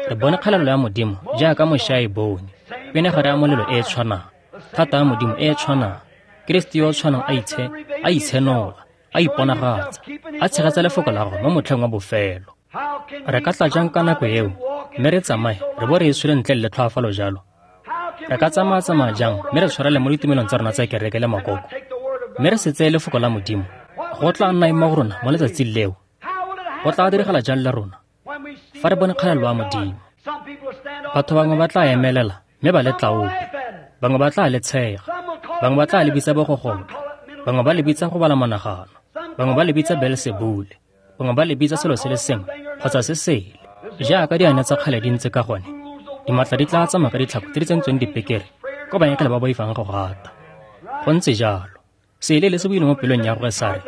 Re bone kgalelo ya Modimo jaaka Moshe a e bone. Pinagare ya molelo e e tshwanang, thata ya Modimo e e tshwanang, Kriste yo o tshwanang a itshenola, a iponagatsa, a tshegetsa lefoko la gagwe mo motlheng wa bofelo. Re ka tla jang ka nako eo mme re tsamaye re bo re e tshwele ntle le tlhoafalo jalo? Re ka tsamaya-tsamaya jang mme re tshwarele mo ditumelong tsa rona tsa kereke le makoko, mme re se tseye lefoko la Modimo? Go tla nna eng mo go rona mo letsatsing leo? Go tla diragala jang le rona fa re bone kgalelo ya Modimo? Batho bangwe ba tla emelela mme ba le tlaope, bangwe ba tla le tshega, bangwe ba tla le bitsa bogogolo, bangwe ba le bitsa go bala monagano, bangwe ba le bitsa Beelsebule, bangwe ba le bitsa selo se le sengwe kgotsa se sele. Jaaka diane tsa kgale di ntse ka gone, dimatla di tla tsamaya ka ditlhako tse di tsentsweng dipekere ko baengele ba boifang go gata. Go ntse jalo. Seele le se buile mo pelong ya gagwe sa re,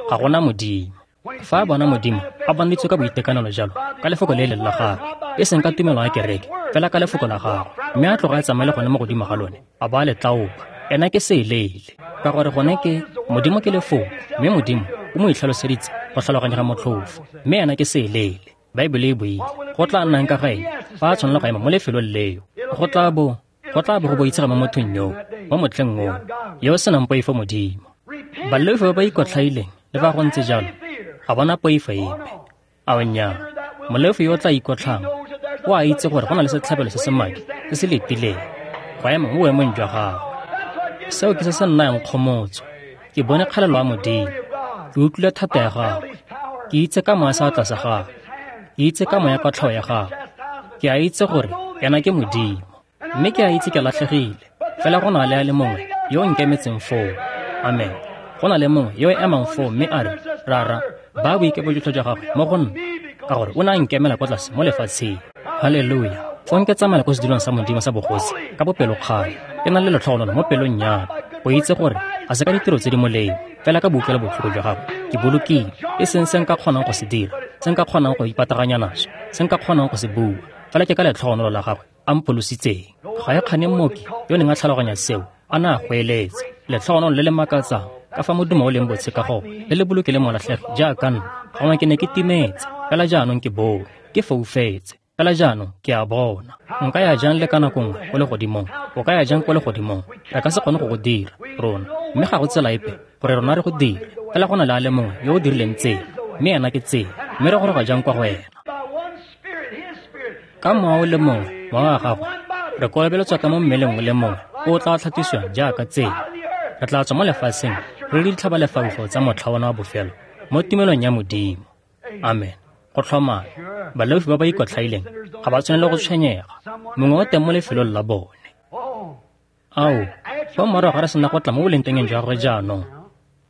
ga gona Modimo. Fa a bona Modimo a bonaditswe ka boitekanelo jalo ka lefoko le leng la gagwe, e seng ka tumelo ya kereke, fela ka lefoko la gagwe, mme a tloga a tsamaye le gone mo godimo ga lone, a ba a le tlaopa, ena ke seeleele. Ka gore gone ke Modimo ke lefoko, mme Modimo o mo itlhaloseditse go tlhaloganyega motlhofo, mme ena ke seeleele. Baebele e buile. Go tla nnang ka ga eng fa a tshwanela go ema mo lefelong leo? Go tla bo go boitshega mo mothong yoo, mo motlheng oo, yo o senang poifo Modimo. Baleofi ba ba ikotlhaileng, le fa go ntse jalo, ga bona poifo epe. Ao nnyaa, moleofi yo o tla ikotlhang o a itse gore go na le setlhabelo se se madi se se letileng go ema mo boemong jwa gagwe. Seo ke se se nnayang kgomotso. Ke bone kgalelo ya Modimo, ke utlwile thata ya gagwe, ke itse ka moya seatla sa gagwe, ke itse ka moya kotlhao ya gagwe. Ke a itse gore ena ke Modimo, mme ke a itse ke latlhegile. Fela go na le a le mongwe yo o nkemetseng foo. Amen. Go na le mongwe yo o emang foo mme a re, Rara, ba boikepo jotlhe jwa gagwe mo go nna, ka gore o ne a nkemela kwa tlase mo lefatsheng. Haleluya. Fong ke tsamaya ko sedulong sa Modimo sa bogosi ka bopelokgale, ke na le letlhogonolo mo pelong ya me, go itse gore ga se ka ditiro tse di molemo, fela ka boutlwelo botlhoko jwa gagwe ke bolokile, e seng se nka kgonang go se dira, se nka kgonang go ipataganya naso, se nka kgonang go se bua, fela ke ka letlhogonolo la gagwe a mpholositseng. Ga e kgane mmoki yo neng a tlhaloganya seo a ne a goeletsa, letlhogonolo le le makatsang ka fa modumo o leng botshe ka gone, le le bolokile molatlhegi jaaka nna. Gongwe ke ne ke timetse, fela jaanong ke bone, ke foufetse, fela jaanong ke a bona. Nka ya jang le ka nako nngwe ko legodimong? O ka ya jang ko legodimong? Re ka se kgone go go dira rona, mme ga go tsela epe gore rona re go dire. Fela go na le a le mongwe yo o dirileng tsela, mme ena ke tsela, mme re goroga jang kwa go ena? Ka mowa o le mongwe, mowa wa gagwe, re kolobeletswa ka mo mmeleng o le mongwe o o tla tlhatlosiwang jaaka tsela. Re tla tswa mo lefatsheng re le ditlhabalefaufau tsa motlha ona wa bofelo mo tumelong ya Modimo. Amen. Go tlhomame, baleofi ba ba ikotlhaileng ga ba tshwanele go tshwenyega, mongwe o teng mo lefelong la bone. Ao, fa morago ga re sena go tla mo bolengtengeng jwa gagwe jaanong,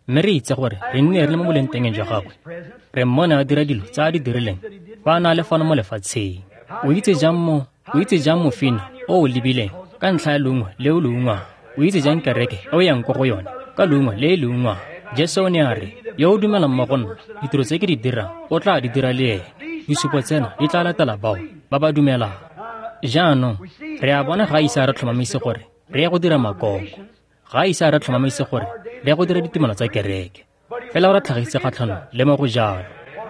mme re itse gore re nne re le mo bolengtengeng jwa gagwe, re mmone a dira dilo tse a di dirileng fa a na le fano mo lefatsheng. O itse jang mofine o o lebileng ka ntlha ya leungo le o le ungwang? O itse jang kereke e o yang ko go yone ka leungo le e le ungwang? Jesu o ne a re, yo o dumelang mo go nna, ditiro tse ke di dirang o tla di dira le ene. Disupo tsena di tla latela bao ba ba dumelang. Jaanong re a bona ga a ise a re tlhomamise gore re ye go dira makoko, ga a ise a re tlhomamise gore re ye go dira ditumelo tsa kereke, fela o re tlhagisitse kgatlhanong le mo go jalo.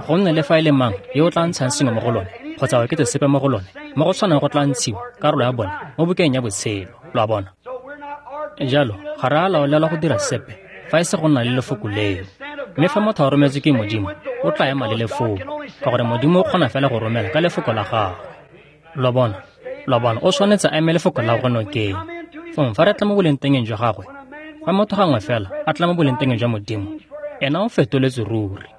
Gonne le fa e le mang yo o tla ntshang sengwe mo go lone kgotsa oketse sepe mo go lone, mo go tshwanang go tla ntshiwa karolo ya bone mo bukeng ya botshelo. Lo a bona? Jalo ga re a laolelwa go dira sepe fa e se go nna le lefoko leo. Mme fa motho a rometswe ke Modimo, o tla ema le lefoko, ka gore Modimo o kgona fela go romela ka lefoko la gagwe. Lo bona, o tshwanetse a eme lefoko la gagwe nokeng. Fong fa re tla mo bolengtengeng jwa gagwe, fa motho gangwe fela a tla mo bolengtengeng jwa Modimo, ena o fetoletswe ruri.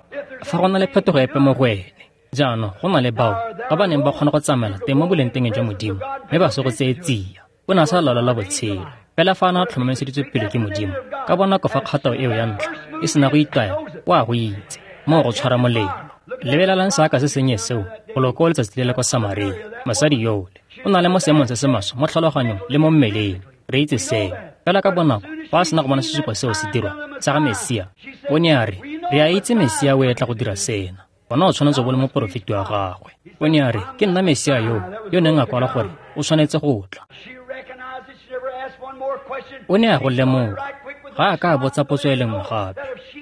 Fa go na le phetogo epe mo go ene, jaanong go na le bao ba ba neng ba kgona go tsamaela teng mo bolengtengeng jwa Modimo, mme ba se go tseye tsia. O ne a sa laolela botshelo, fela fa a ne a tlhomamiseditswe pele ke Modimo, ka bonako fa kgato eo ya ntlha e sena go itaya, o a go itse, moo go tshwara molelo. Lebelelang seaka se sennye seo golo ko letsatsi le le kwa Samaria. Mosadi yole o na le mo seemong se se maswe mo tlhaloganyong le mo mmeleng, re itse seo. Fela ka bonako fa a sena go bona sesupo seo se dirwa sa ga Mesia, o ne a re, re a itse Mesia o etla go dira sena. Wena o tshwanetse go le moporofeti wa gagwe. O ne a re, ke nna Mesia yo, yo neng a kwala gore o tshwanetse go tla. O ne a go lemoga. Ga a ka a botsa potso e le nngwe gape.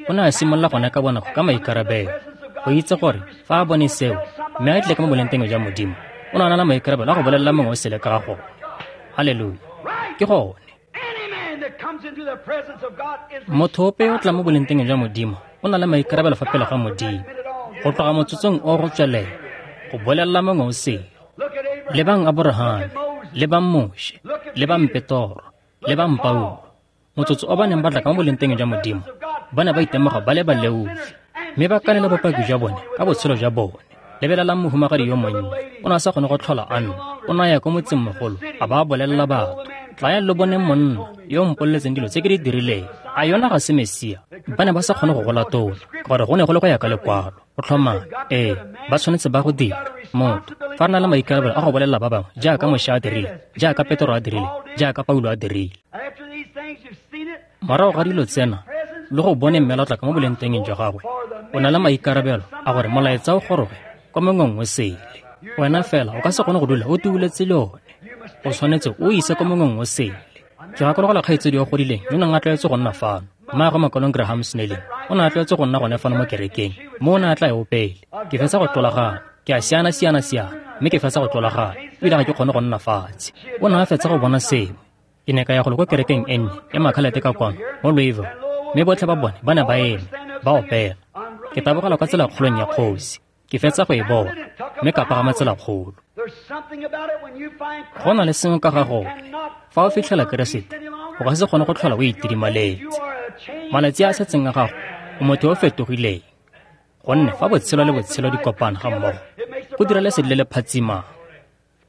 O ne a simolola gone ka bonako ka maikarabelo, go itse gore fa a bone seo mme a tle ka mo bolengteng jwa Modimo, o ne a na le maikarabelo a go bolelela mongwe o sele ka ga gone. Haleluya. Ke gone. Motho ope yo o tlang mo bolengteng jwa Modimo o na le maikarabelo fa pele ga Modimo, go tloga motsotsong o go tswelela, go bolelela mongwe o sele. Lebang Aborahame, lebang Moshe, lebang Petoro, lebang Paulo. Motsotso o ba neng ba tla ka mo bolengteng jwa Modimo, ba ne ba itemoga ba le baleofi, mme ba kanela bopaki jwa bone ka botshelo jwa bone. Lebelelang mohumagadi yo monnye, o ne a sa kgone go tlhola a nna. O ne a ya ko motsengmogolo, a ba bolelela batho, tlayang lo boneng monna yo o mpoleletseng dilo tse ke di dirileng. A yona ga se Mesia? Ba ne ba sa kgone go go latola, ka gore go ne go le go ya ka lekwalo. Go tlhomame, ee, ba tshwanetse ba go dira. Motho, fa re na le maikarabelo a go bolelela ba bangwe, jaaka Moshe a dirile, jaaka Petoro a dirile, jaaka Paulo a dirile. Morago ga dilo tsena, le go bone mme la tla ka mo bolengtengeng jwa gagwe, o na le maikarabelo a gore molaetsa o goroge kwa mongweng o sele. Wena fela o ka se kgone go dula o tuuletse le one. O tshwanetse o ise kwa mongweng o sele. Ke gakologelwa kgaitsedi yo godileng yo neng a tlwaetse go nna fano, mmaagwe Makolong Graham Snelling, o ne a tlwaetse go nna gone fano mo kerekeng, mo o ne a tla e opele. Ke fetsa go tlolagana, ke a siana siana siana, mme ke fetsa go tlolagana, ebile ga ke kgone go nna fatshe. O ne a fetsa go bona sengwe. Ke ne ka ya go le kwa kerekeng e nnye ya Makhalete ka kwano mo Louisville, mme botlhe ba bone ba ne ba eme, ba opela. Ke tabogela kwa tselakgolong ya kgosi, ke fetsa go e bona, mme ka pagama tselakgolo. Go na le sengwe ka ga gone, fa o fitlhela Keresete, o ka se kgone go tlhola o itidimaletse. Malatsi a a setseng a gago, o motho yo o fetogileng. Gonne fa botshelo le botshelo di kopana ga mmogo, go dira lesedi le le phatsimang.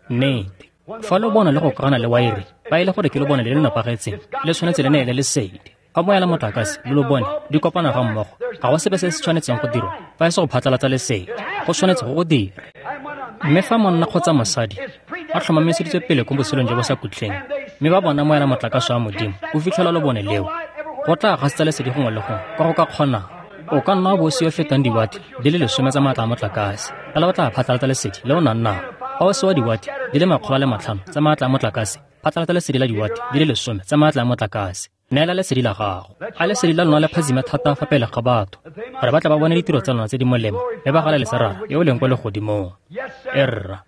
Nnete. Fa lo bona le go kagana le waere, fa e le gore ke lo bone le le nepagetseng, le tshwanetse le neele lesedi. Fa moya le motlakase le lo bone di kopana ga mmogo, ga go sepe se se tshwanetseng go dirwa fa e se go phatlalatsa lesedi. Go tshwanetse go go dira. Mme fa monna kgotsa mosadi a tlhomamiseditswe pele ko botshelong jo bo sa khutleng, mme ba bona moya le motlakase wa Modimo o fitlhela lobone leo, go tla gasetsa lesedi gongwe le gongwe kwa go ka kgonang. O ka nna wa bo o se yo fetang diwate di le 10 tsa maatla a motlakase, fela o tla phatlalatsa lesedi le o nang nao. Fa o se wa diwate di le 500 tsa maatla a motlakase, phatlalatsa lesedi la diwate di le 10 tsa maatla a motlakase. Neela lesedi la gago. A lesedi la lona le phadzime thata fa pele ga batho, gore ba tla ba bone ditiro tsa lona tse di molemo, mme ba galaletse Rara yo o leng kwa legodimong. E rra.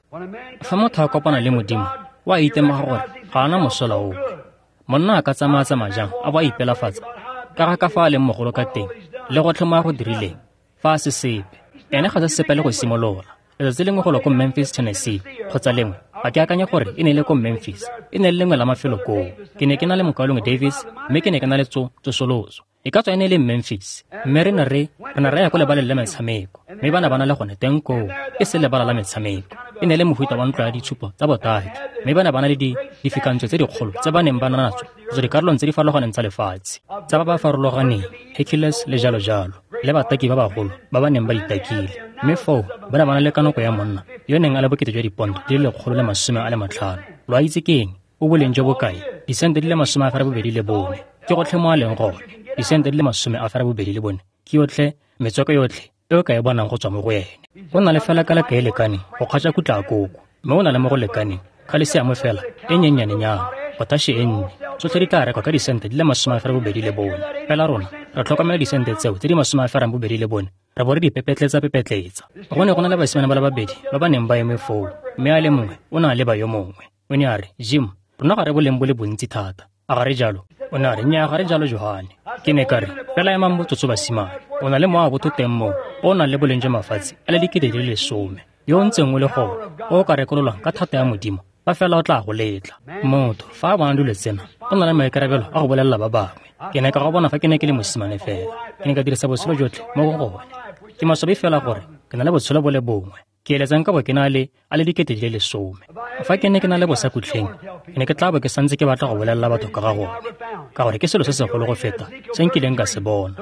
Fa motho a kopana le Modimo, o a itemoga gore ga ana mosola ope. Monna a ka tsamaya-tsamaya jang a bo a ipelafatsa ka ga ka fa a leng mogolo ka teng le gotlhe mo a go dirileng, fa a se sepe. Ene ga se sepe le go simolola. Letsatsi lengwe go lwa ko Memphis, Tennessee, kgotsa lengwe, ga ke akanye gore e ne e le ko Memphis, e ne e le lengwe la mafelo koo. Ke ne ke na le mokaulengwe Davis, mme ke ne ke na le tsosoloso. E ka tswa e ne e le Memphis, mme re ne re ya ko lebaleng la metshameko, mme ba ne ba na le gone teng koo, e se lebala la metshameko. E ne e le mohuta wa ntlo ya ditshupo tsa botaki, mme ba ne ba na le difikantswe tse dikgolo tse ba neng ba na natso go tswa dikarolong tse di farologaneng tsa lefatshe, tsa ba ba farologaneng, Hercules le jalo jalo, le bataki ba bagolo ba ba neng ba ditakile. Mme foo ba ne ba na le kanoko ya monna yo neng a le bokete jwa diponto di le 150. Lo a itse ke eng? O boleng jo bokae? Disente di le 84. Ke gotlhe mo a leng gone. Disente di le 84 ke yotlhe metswako yotlhe e o ka e bonang go tswa mo go ene. O na le fela kalaka e lekaneng go kgatša kutla a koko, mme o na le mo go lekaneng khalesiamo fela e nyennyane-nyana, potaše e nnye. Tsotlhe di tla rekwa ka disente di le 84. Fela rona re tlhokomela disente tseo tse di 84, re bo re di pepetletsa. Go ne go na le basimane ba le babedi ba ba neng ba eme foo, mme a le mongwe o ne a leba yo mongwe. O ne a re, Jim, rona ga re boleng bo le bontsi thata, a ga re jalo? O ne a re, nnyaa, ga re jalo, Johane. Ke ne ka re, fela emang botsotso basimane, o na le mowa botho teng moo o nang le boleng jwa mafatshe a le 10,000, yo o ntseng o le gone, o o ka rekololwang ka thata ya Modimo, fa fela o tla go letla. Motho fa a bona dilo tsena, o na le maikarabelo a go bolelela ba bangwe. Ke ne ka go bona fa ke ne ke le mosimane fela, ke ne ka dirisa botshelo jotlhe mo go gone. Ke maswabi fela gore ke na le botshelo bo le bongwe. Ke eletsang ka bo ke na le a le 10,000. Fa ke ne ke na le bosakutleng, ke ne ke tla bo ke santse ke batla go bolelela batho ka ga gone, ka gore ke selo se segolo go feta se nkileng ka se bona.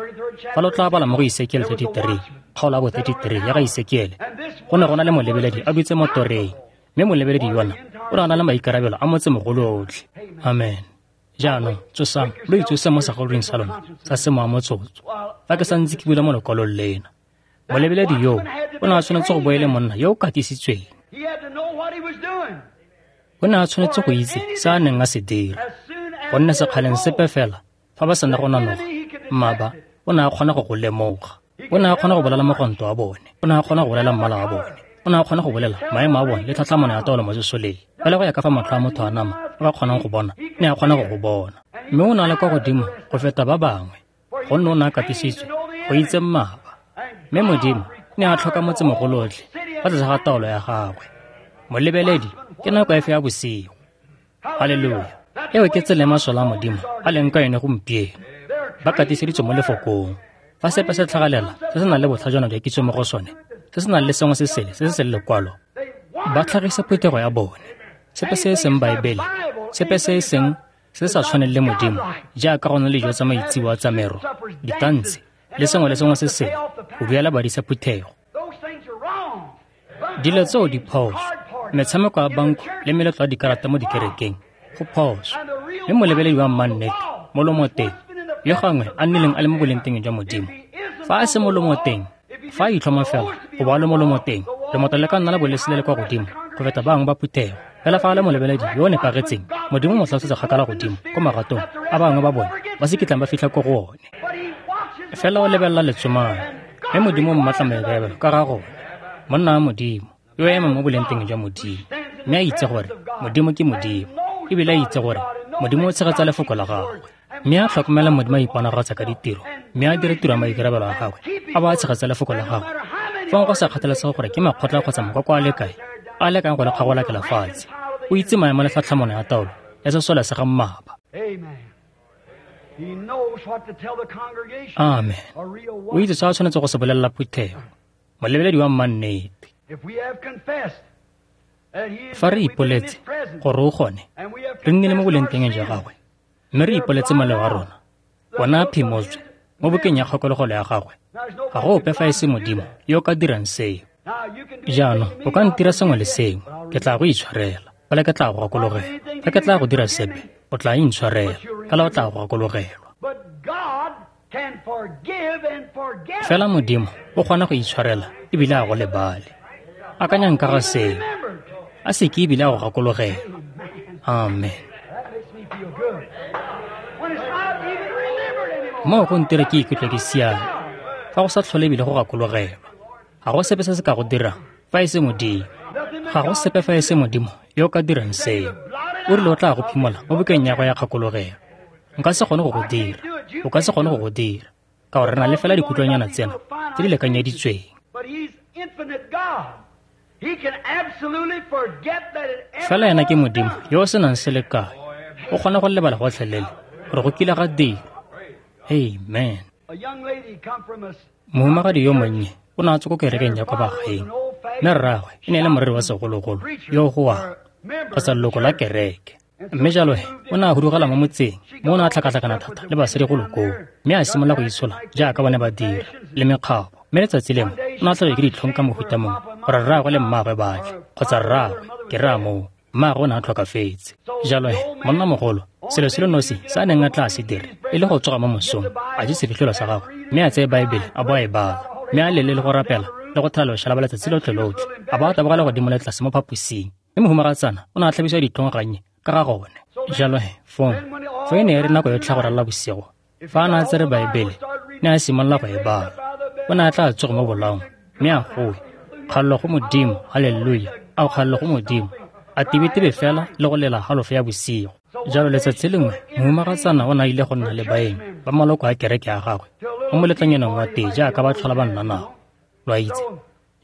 Fa lo tla bala mo go Ezekiel 33, kgaolo ya bo 33 ya ga Ezekiel, go ne go na le molebeledi a dutse mo toreng, mme molebeledi yona o ne a na le maikarabelo a motsemogolo otlhe. Amen. Jaanong tsosang, lo itsose mo segolong sa lona sa semowa motsotso, fa ke santse ke bula mo lekwalong lena. Molebeledi yoo o ne a tshwanetse go bo e le monna yo o katisitsweng. O ne a tshwanetse go itse se a neng a se dira, gonne sekgaleng sepe fela fa ba sena go nanoga, mmaba o ne a kgona go go lemoga. O ne a kgona go bolela mogwanto wa bone, o ne a kgona go bolela mmala wa bone, o ne a kgona go bolela maemo a bone le tlhatlhamano ya taolo mo sesoleng. Fela go ya ka fa matlho a motho a nama a ka kgonang go bona, ne a kgona go go bona. Mme o ne a le kwa godimo go feta ba bangwe, gonne o ne a katisitswe go itse mmaba. Mme Modimo ne a tlhoka motsemogolotlhe fa tlase ga taolo ya gagwe. Molebeledi ke nako efe ya bosigo. Haleluya. Eo ke tsela e masole a Modimo a leng ka yone gompieno. Ba katiseditswe mo lefokong. Fa sepe se tlhagalela se se nang le botlhajana jwa kitso mo go sone, se se nang le sengwe se sele se se seng lekwalo, ba tlhagisa phuthego ya bone. Sepe se e seng Baebele, sepe se e seng se se sa tshwaneng le Modimo, jaaka go na le dijo tsa maitsiboa tsa mero, ditantshe, le sengwe le sengwe se sele, go duela badisa phuthego. Dilo tseo di phoso. Metshameko ya banko le meletlo ya dikarata mo dikerekeng go phoso. Mme molebeledi wa mmannete mo lomoteng, yo gangwe a nnileng a le mo bolengteng jwa Modimo, fa a se mo lomoteng, fa a itlhoma fela go ba le mo lomoteng, lemoto le ka nna la bo le sele le kwa godimo go feta ba bangwe ba phuthego. Fela fa a le molebeledi yo o nepagetseng, Modimo mo tlhalosetsa kgakala godimo ko magatong a bangwe ba bone ba se kitlang ba fitlha ko go one. Fela o lebelela letsomane, mme Modimo o mmatla maikarabelo ka ga gone. Monna wa Modimo yo o emang mo bolengteng jwa Modimo, mme a itse gore Modimo ke Modimo, ebile a itse gore Modimo o tshegetsa lefoko la gagwe, mme a tlhokomela Modimo a iponagatsa ka ditiro, mme a dire tiro ya maikarabelo a gagwe, a ba a tshegetsa lefoko la gagwe. Fong go sa kgathalesege gore ke makgotla kgotsa makoko a le kae a lekang go le kgagolakela fatshe, o itse maemo le tlhatlhamano ya taolo ya sesole sa ga mmaba. Amen. O itse se a tshwanetse go se bolelela phuthego. Molebeledi wa mmannete. Fa re ipoletse gore o gone, re nnile mo bolengteng jwa gagwe, mme re ipoletse moleo wa rona, ona a phimotswe mo bukeng ya kgakologelo ya gagwe. Ga go ope fa e se Modimo yo o ka dirang seo. Jaanong o ka ntira sengwe le sengwe, ke tla go itshwarela, fela ke tla go gakologelwa. Fa ke tla go dira sepe, o tla intshwarela, fela o tla go gakologelwa. Fela Modimo o kgona go itshwarela ebile a go lebale. Akanyang ka ga seo, a se ke ebile a go gakologelwa. Amen. Moo go ntira ke ikutlwe ke siame fa go sa tlhole ebile go gakologelwa. Ga go sepe se se ka go dirang fa e se Modimo. Ga go sepe fa e se Modimo yo o ka dirang seo. O rile o tla go phimola mo bukeng ya go ya kgakologelo. Nka se kgone go go dira, o ka se kgone go go dira, ka gore re na le fela dikutlwanyana tsena tse di lekanyeditsweng. Fela ena ke Modimo yo o senang selekanyo, o kgona go lebala gotlhelele gore go kile ga dira. Amen. Mohumagadi yo monnye o ne a tswa ko kerekeng ya kwa bagaeng, mme rraagwe e ne e le moreri wa segologolo yo o goang kgotsa leloko la kereke. Mme jalo he o ne a hudugela mo motseng mo o ne a tlhakatlhakana thata le basadi go lokoo, mme a simolola go itshola jaaka bone ba dira le mekgabo. Mme letsatsi lengwe o ne a tlhabiwa ke ditlhong ka mohuta mongwe gore rraagwe le mmaagwe ba tle, kgotsa rraagwe ke rraa moo, mmaagwe o ne a tlhokafetse. Jalo he monnamogolo, selo se le nosi se a neng a tla se dira e le go tsoga mo mosong, a je sefitlholo sa gagwe, mme a tseye Baebele a bo a e bala, mme a lele le go rapela le go thela loshalaba letsatsi lotlhe lotlhe, a ba a tabogela godimo le tlase mo phaposing. Mme mohumagatsana o ne a tlhabisiwa ditlhong gannye ka ga gone. Jalo he fong fa e ne e re nako yotlhe go ralala bosigo, fa a ne a tsere Baebele, ne a simolola go e bala. O ne a tla tsoga mo bolaong mme a goe, kgalelo go Modimo, haleluya, a kgalelo go Modimo, a tebetebe fela le go lela halofo ya bosigo. Jalo letsatsi lengwe mohumagatsana o ne a ile go nna le baeng ba maloko a kereke ya gagwe mo moletlonyaneng wa tee jaaka ba tlhola ba nna nao, lo a itse.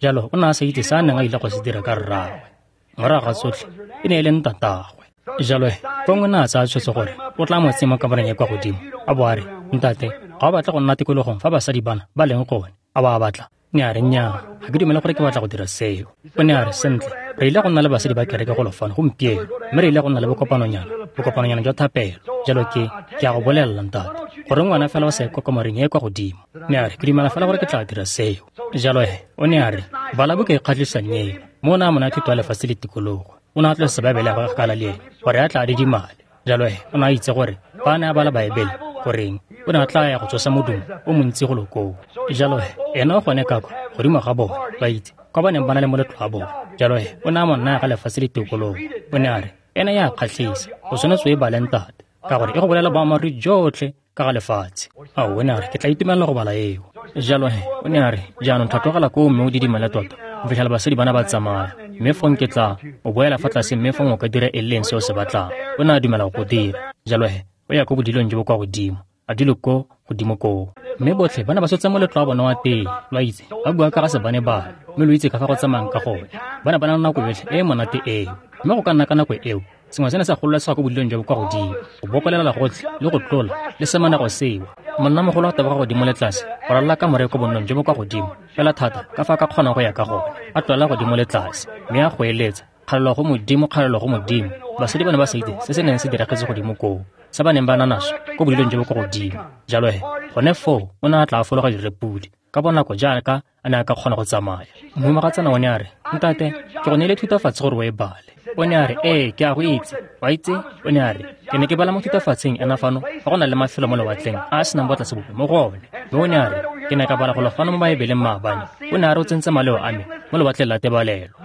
Jalo o ne a sa itse se a neng a ile go se dira ka rraagwe. Morago ga tsotlhe e ne e le ntatagwe. Jalo he fong o ne a tsaya tshwetso gore o tla mo tsenya mo kamoreng e kwa godimo, a bo a re, ntate, ga o batle go nna tikologong fa basadi bana ba leng gone, a ba a batla? Ne a re, nnyaa, ga ke dumele gore ke batla go dira seo. O ne a re, sentle, re ile go nna le basadi ba kereke golo fano gompieno, mme re ile go nna le bokopanonyana jwa thapelo. Jalo ke a go bolelela ntate, gore ngwana fela o sa ye kwa kamoreng e kwa godimo. Ne a re, ke dumela fela gore ke tla dira seo. Jalo he o ne a re, bala buka e kgatlhisang eo. Mo o ne a mo naya thuto ya lefatshe le tikologo. O ne a tlosa Baebele ya gagwe kgakala le ene gore a tla a didimale. Jalo he o ne a itse gore fa a ne a bala Baebele, goreng o ne a tla ya go tsosa modumo o montsi go lokoo. Jalo he ena o gone ka kwa godimo ga bone, ba itse, kwa ba neng ba na le moletlo wa bone. Jalo he, o ne a mo naya ga lefatshe le tikologo. O ne a re, ena ya kgatlhisa, o tshwanetse o e bale ntate, ka gore e go bolela boammaaruri jotlhe ka ga lefatshe. Ao, o ne a re, ke tla itumelela go bala eo. Jalo he, o ne a re, jaanong tlhatlogela koo mme o didimale tota, go fitlhela basadi bana ba tsamaya, mme fong ke tla o boela fa tlase mme fong o ka dira e leng se o se batlang. O ne a dumela go dira. Jalo he, o ya ko bodilong jo bo kwa godimo, a dule ko godimo koo. Mme botlhe ba ne ba sotse moletlo wa bona wa tee, lo itse, ba bua ka ga se bane bane, mme lo itse ka fa go tsamayang ka gone. Ba ne ba na le nako yotlhe e e monate eo. Mme go ka nna ka nako eo, sengwe se ne sa gololesega ko bodilong jo bo kwa godimo, go bokolela gotlhe le go tlola le semanego seo. Monnamogolo a taboga godimo le tlase, go ralala kamore ko bonnong jo bo kwa godimo, fela thata ka fa a ka kgonang go ya ka gone. A tlola godimo le tlase, mme a goeletsa, kgalelo go Modimo, kgalelo go Modimo. Basadi ba ne ba sa itse se se neng se diragetse godimo koo, se ba neng ba na naso ko bodilong jo bo kwa godimo. Jalo he, gone foo o ne a tla a fologa direpodi ka bonako jaaka a ne a ka kgona go tsamaya. Mohumagatsana o ne a re, ntate, ke go neile thutafatshe gore o e bale. O ne a re, ee, ke a go itse. Wa itse? O ne a re, ke ne ke bala mo thutafatsheng ena fano fa go na le mafelo mo lewatleng a a senang botlase bope mo go one. Mme o ne a re, ke ne ka bala golo fano mo Baebeleng maabane. O ne a re o tsentse maleo a me mo lewatleng la tebalelo.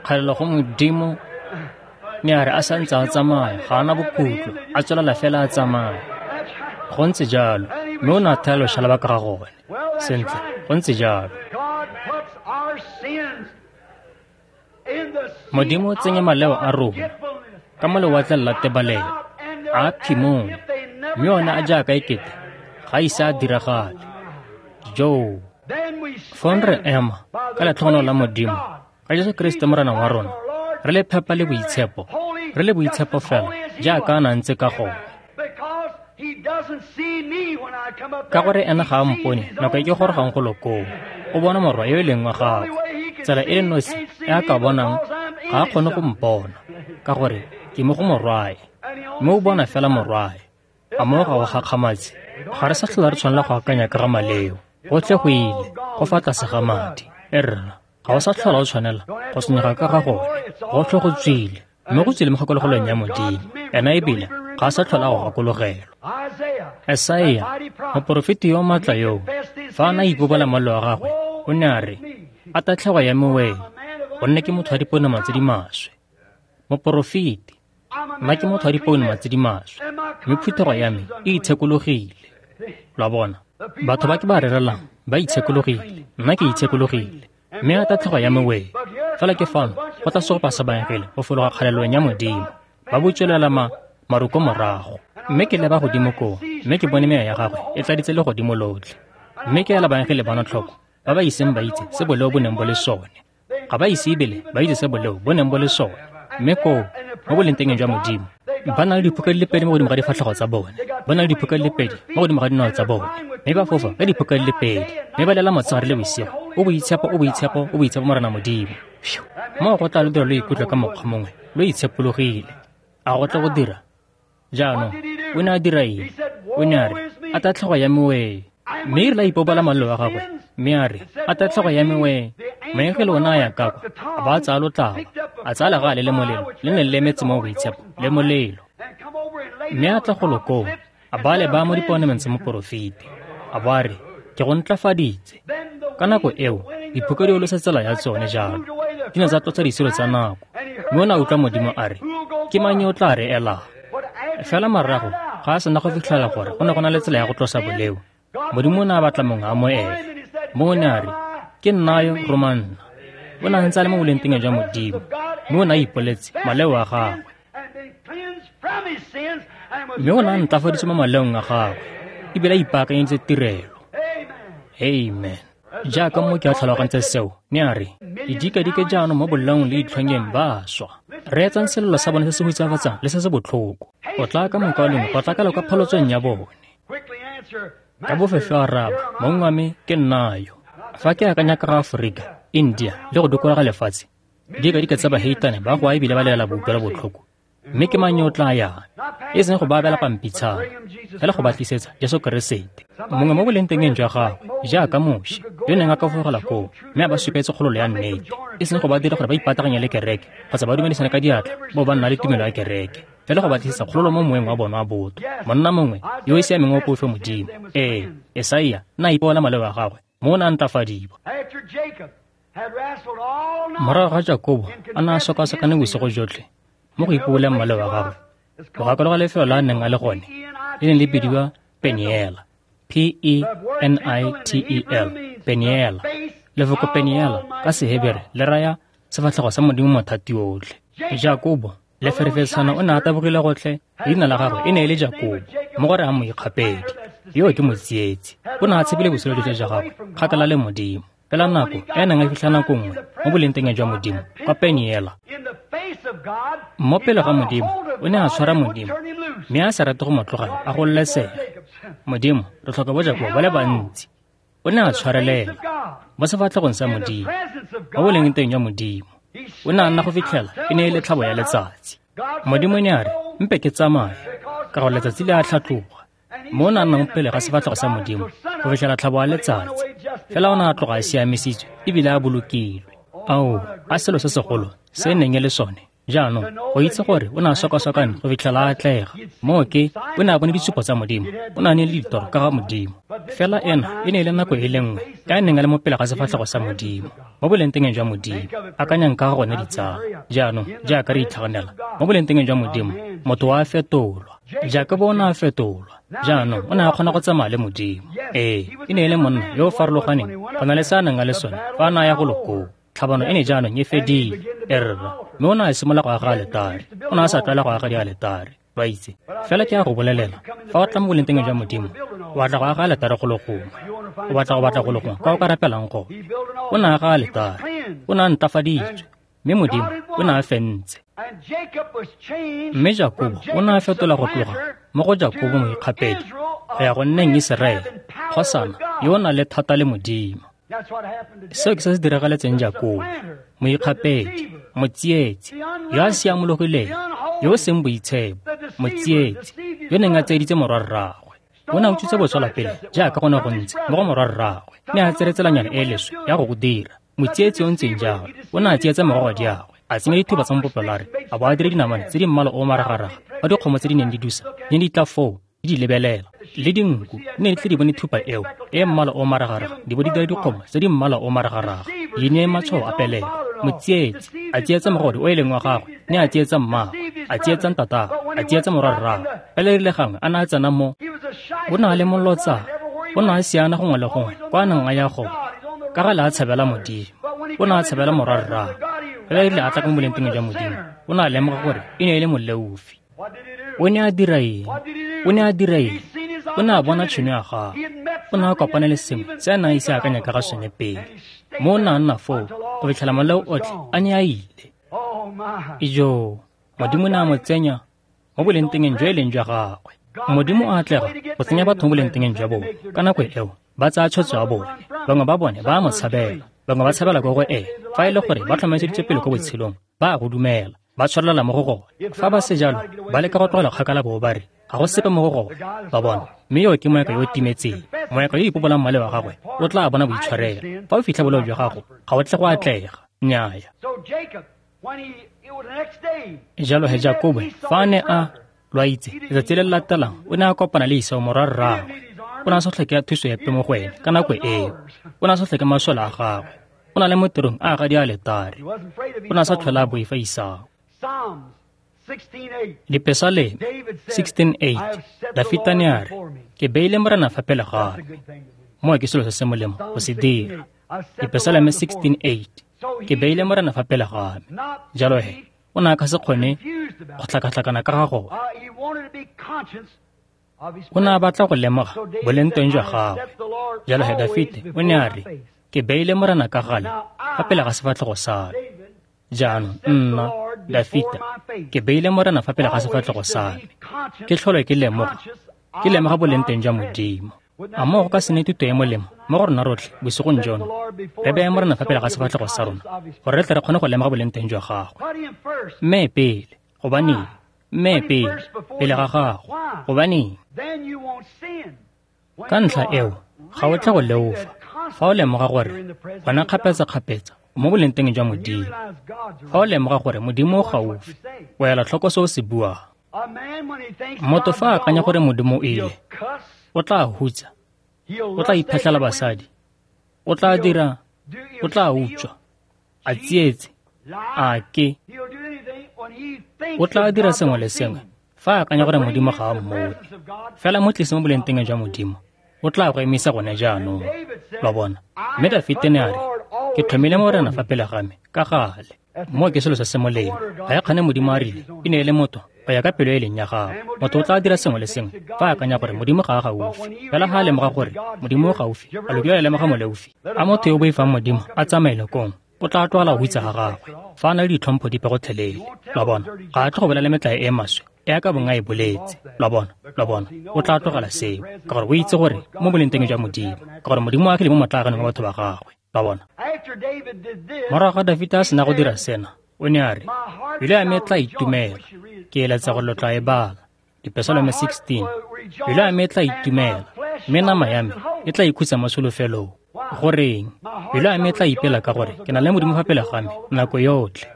Kgalelo go Modimo. Ne a re a santse a tsamaya, ga ana bokhutlo, a tswelela fela a tsamaya. Go ntse jalo, mme o ne a thaya loshalaba ka ga gone. Sentle, go ntse jalo. Modimo o tsenya maleo a rona ka mo lewatleng la tebalelo, a phimong, mme one a jaaka ekete ga ise a diragale. Jo, fong re ema ka letlhogonolo la Modimo, ka Jesu Kriste Morena wa rona, re le phepa le boitshepo, re le boitshepo fela jaaka a na ntse ka gone. Ka gore ena ga a mpone nako e ke gorogang golo koo, o bona morwa yo e leng wa gagwe. Tsela e le nosi e a ka bonang, ga a kgone go mpona, ka gore ke mo go morwae, mme o bona fela morwae. A mo ga o gakgamatse? Ga re sa tlhola re tshwanela go akanya ka ga maleo, gotlhe go ile, go fa tlase ga madi. E rra, ga o sa tlhola o tshwanela go senyega ka ga gone, gotlhe go tswile, mme go tswile mo kgakologolong ya Modimo. Ena ebile ga a sa tlhola go gakologelwa. Esaia, moporofeti yo maatla yoo, fa a ne a ipobola mollo wa gagwe, o ne a re, a tatlhego ya me wee, gonne ke motho wa dipounama tse di maswe. Moporofeti, nna ke motho wa dipounama tse di maswe, mme phuthego ya me e itshekologile. Lo a bona, batho ba ke ba rerelang ba itshekologile, nna ke itshekologile, mme a tatlhego ya me wee. Fela ke fano go tla segopa sa baengele go fologa kgalelong ya Modimo, ba butswelela maruko morago. Mme ke leba godimo koo, mme ke bone meya ya gagwe e tladitse legodimo lotlhe. Mme ke ela baengele bano tlhoko, ba ba iseng ba itse se boleo bo neng bo le sone. Ga ba ise ebile ba itse se boleo bo neng bo le sone. Mme koo, mo bolengtengeng jwa Modimo, ba na le diphuka di le pedi mo godimo ga difatlhego tsa bone, ba na le diphuka di le pedi mo godimo ga dinao tsa bone, mme ba fofa ka diphuka di le pedi, mme ba lela motshegare le bosigo, o boitshepo, o boitshepo, o boitshepo Morena Modimo. Moo go tla lo dira lo ikutlwe ka mokgwa mongwe, lo itshepologile. A go tla go dira? Jaanong, o ne a dira eng? O ne a re, a tatlhego ya me wee. Mme e rile a ipobola malelo wa gagwe, mme a re, a tatlhego ya me wee. Moengele o ne a ya ka kwa, a ba a tsaya lotlaba, a tsaya legale le molelo, le ne le lemetse mo boitshepo, le molelo. Mme a tla golo koo, a ba leba mo dipounameng tsa moporofeti, a bo a re, ke go ntlafaditse. Ka nako eo, diphuka di olosa tsela ya tsone jalo, di ne tsa tlotsa disiro tsa nako. Mme o ne a utlwa Modimo a re, ke mang yo o tla re elang? Fela morago ga a sena go fitlhela gore go ne go na le tsela ya go tlosa boleo, Modimo o ne a batla mongwe a mo ele. Mme o ne a re, ke nna yo, roma nna. O ne a ntse a le mo bolengtengeng jwa Modimo, mme o ne a ipoletse maleo a gagwe. Mme o ne a ntlafaditswe mo maleong a gagwe, ebile a ipaakanyeditse tirelo. Amen. Jaaka mo ke a tlhalogantse seo, ne a re, didikadike jaanong mo bolaong le ditlhongeng ba swa. Reetsang selelo sa bone se se hutsafatsang le se se botlhoko. O tla ka mokwalong, go tla ka kwa phalotsong ya bone. Ka bofefe a araba, mong wa me ke nna yo. Fa ke akanya ka ga Aforika, India le go dikologa lefatshe, didikadike tsa baheitane ba goa ebile ba lela boutlwelo botlhoko. Mme ke mang yo o tla yang? E seng go ba abela pampitshana, fela go ba tlisetsa Jesu Keresete. Mongwe mo bolengtengeng jwa gagwe, jaaka Moshe, yo neng a ka fofogela koo, mme a ba supetse kgololo ya nnete, e seng go ba dira gore ba ipataganye le kereke, kgotsa ba dumedisane ka diatla, bo ba nna le tumelo ya kereke. fela go batlisisa kgololo mo moeng wa bona wa botho. Monna mongwe yo o siameng wa poifo Modimo. Ee, Esaia na ipola maleo a gagwe mo o ne a ntlafadiwa. Morago ga Jakobo a ne a sokasokane bosigo jotlhe mo go ipoboleng maleo a gagwe, go gakologa lefelo la a neng a le gone le ne le bidiwa Peniela, P-E-N-I-T-E-L, Peniela. Lefoko Peniela ka Sehebere le raya sefatlhego sa Modimo mothati otlhe. Jakobo leferefetshana o ne a tabogile gotlhe, leina la gagwe e ne e le Jakobo, mo go rayang moikgapedi. Yo ke motsietsi. O ne a tshepile botshelo jotlhe jwa gagwe kgakala le Modimo. Fela nako e neng a fitlha nako nngwe mo bolengteng jwa Modimo kwa Peniela, mo pele ga Modimo o ne a tshwara Modimo mme a sa rate go mo tlogela a gololesega. Modimo, re tlhoka bo Jakobo ba le bantsi. O ne a tshwarelela mo sefatlhegong sa Modimo, mo bolengteng jwa Modimo. O ne a nna go fitlhela e ne e le tlhabo ya letsatsi. Modimo ne a re, mpe ke tsamaye, ka gore letsatsi le a tlhatloga. Mo o ne a nnang pele ga sefatlhego sa Modimo go fitlhela tlhabo ya letsatsi. Fela o ne a tloga a siamisitswe ebile a bolokilwe. Ao, a selo se segolo se e neng e le sone. Jaanong, go itse gore o ne a sokasokane go fitlhela a atlega. Moo ke, o ne a bone ditshupo tsa Modimo, o ne a ne le ditoro ka ga Modimo. Fela ena e ne e le nako e le nngwe ka e neng a le mo pele ga sefatlhego sa Modimo, mo bolengteng jwa Modimo. Akanyang ka ga gone, ditsala. Jaanong, jaaka re itlhaganela mo bolengteng jwa Modimo, motho wa fetolwa. Jakobo o ne a fetolwa. Jaanong o ne a kgona go tsamaya le Modimo. Ee, e ne e le monna yo o farologaneng go na le se a neng a le sone fa a ne a ya go lokoo. Tlhabano e ne jaanong e fedile, erra, mme o ne a simolola go aga aletare. O ne a sa tlwaela go aga dialetare, ba itse. Fela ke a go bolelela, fa o tla mo bolengteng jwa Modimo, o batla go aga aletare go le gongwe. O batla go batla go le gongwe kwa o ka rapelang gone. O ne a aga aletare, o ne a ntlafaditswe, mme Modimo o ne a fentse. Mme Jakobo o ne a fetola go tloga mo go Jakobo moikgapedi go ya go nneng Iseraele, kgosana yo o nang le thata le Modimo. Seo ke se se diragaletseng Jakobo, moikgapedi, motsietsi, yo a siamologileng, yo o seng boitshepo, motsietsi, yo neng a tseeditse morwarraagwe. O ne a utswitse botswala pele jaaka go ne go ntse mo go morwarraagwe, mme a tsere tselanyana e e leswe ya go go dira. Motsietsi o ntseng jalo, o ne a tsietsa mogogadiagwe, a tsenya dithuba tsa mopopelare, a bo a dire dinamane tse di mmala o maragaraga ka dikgomo tse di neng di dusa di ne di tla foo di di lebelela. Le dinku di ne di tle di bone thupa eo e mmala o maragaraga di bo di dira dikgomo tse di mmala o maragaraga di ne matshwao a pelego. Motsietsi a tsietsa mogodi o e leng wa gagwe, ne a tsietsa mmagwe, a tsietsa ntatagwe, a tsietsa morwarragwe. Fela erile gangwe a ne a tsena mo, o ne a le molotsana, o ne a siana gongwe le gongwe kwa a neng a ya gone, ka gale a tshabela Modimo. O ne a tshabela morwarragwe. Fela erile a tla ka mo bolengteng jwa Modimo, o ne a lemoga gore e ne e le moleofi. O ne a dira eng? O ne a dira eng? O ne a bona tšhono ya gagwe. O ne a kopana le sengwe se a neng a ise a akanya ka ga sone pele. Mo o ne a nna foo go fitlhela maleo otlhe a ne a ile. Ijoo, Modimo ne a mo tsenya mo bolengteng jo e leng jwa gagwe. Modimo a atlega go tsenya batho mo bolengteng jwa bone. Ka nako eo, ba tsaya tshwetso ya bone. Bangwe ba bone ba a mo tshabela, bangwe ba tshabela kwa go ene. Fa e le gore ba tlhomamiseditswe pele ko botshelong, ba a go dumela, ba tshwarelela mo go gone. Fa ba se jalo, ba leka go tlogela kgakala bo ba re ga go sepe mo go gone. Ba bona, mme yo ke moeka yo o timetseng. Moeka yo o ipobolang maleo a gagwe o tla bona boitshwarelo. Fa o fitlha boleo jwa gago, ga o tle go atlega. Nnyaya. Jalo he Jakobo fa a ne a lo a itse, letsatsi le le latelang o ne a kopana le Esau morwarraagwe. O ne a sa tlhoke thuso epe mo go ene ka nako eo. O ne a sa tlhoke masole a gagwe. O na le mo tirong a aga dialetare. O ne a sa tlhole a boifa Esau. Dipesaleme 16:8, Dafita ne a re, ke beile Morena fa pele ga me. Moo ke selo se se molemo go se dira. Dipesaleme 16:8, ke beile Morena fa pele ga me. Jalo he, o ne a ka se kgone go tlhakatlhakana ka ga gone. O ne a batla go lemoga bolengteng jwa gagwe. Jalo he Dafite o ne a re, ke beile Morena ka gale fa pele ga sefatlhego sa me. Jaanong nna, Dafita, ke beile Morena fa pele ga sefatlhego sa me. Ke tlhole ke lemoga bolengteng jwa Modimo. A moo go ka se nne thuto e molemo mo go rona rotlhe bosigong jono, re beye Morena fa pele ga sefatlhego sa rona gore re tle re kgone go lemoga bolengteng jwa gagwe. Mme pele, gobaneng? Mme pele, pele ga gago, gobaneng? Ka ntlha eo, ga o tle go leofa fa o lemoga gore gona kgapetsa-kgapetsa mo bolengteng jwa Modimo. Fa o lemoga gore Modimo o gaufi, o ela tlhoko se o se buang. Motho fa a akanya gore Modimo o ile, o tla hutsa, o tla iphetlhela basadi, o tla dira, o tla utswa, a tsietse, a ke. O tla dira sengwe le sengwe fa a akanya gore Modimo ga a mmone. Fela mo tlise mo bolengteng jwa Modimo, o tla go emisa gone jaanong. Lo bona? Mme Dafite ne a re, ke tlhomile Morena fa pele ga me ka gale. Moo ke selo se se molemo. Ga e kgane Modimo a rile, e ne e le motho go ya ka pelo e leng ya gagwe. Motho o tla dira sengwe le sengwe fa a akanya gore Modimo ga a gaufi. Fela ga a lemoga gore Modimo o gaufi, a lo kile a lemoga moleofi. A motho yo o boifang Modimo a tsamaele kong, o tla tlogela go hutsa ga gagwe fa a na le ditlhompho dipe gotlhelele. Lo bona? Ga a tle go bolela metlae e maswe e a ka bong a e boletse. Lo bona? Lo bona? O tla tlogela seo ka gore o itse gore mo bolengteng jwa Modimo, ka gore Modimo o agile mo motlaaganeng wa batho ba gagwe. Lo bona? Morago ga Dafita a sena go dira sena, o ne a re, pelo ya me e tla itumela. Ke eletsa gore lo tla e bala. Dipesalome 16. Pelo ya me e tla itumela, mme nama ya me e tla ikhutsa mo tsholofelong. Goreng? Pelo ya me e tla ipela ka gore ke na le Modimo fa pele ga me nako yotlhe.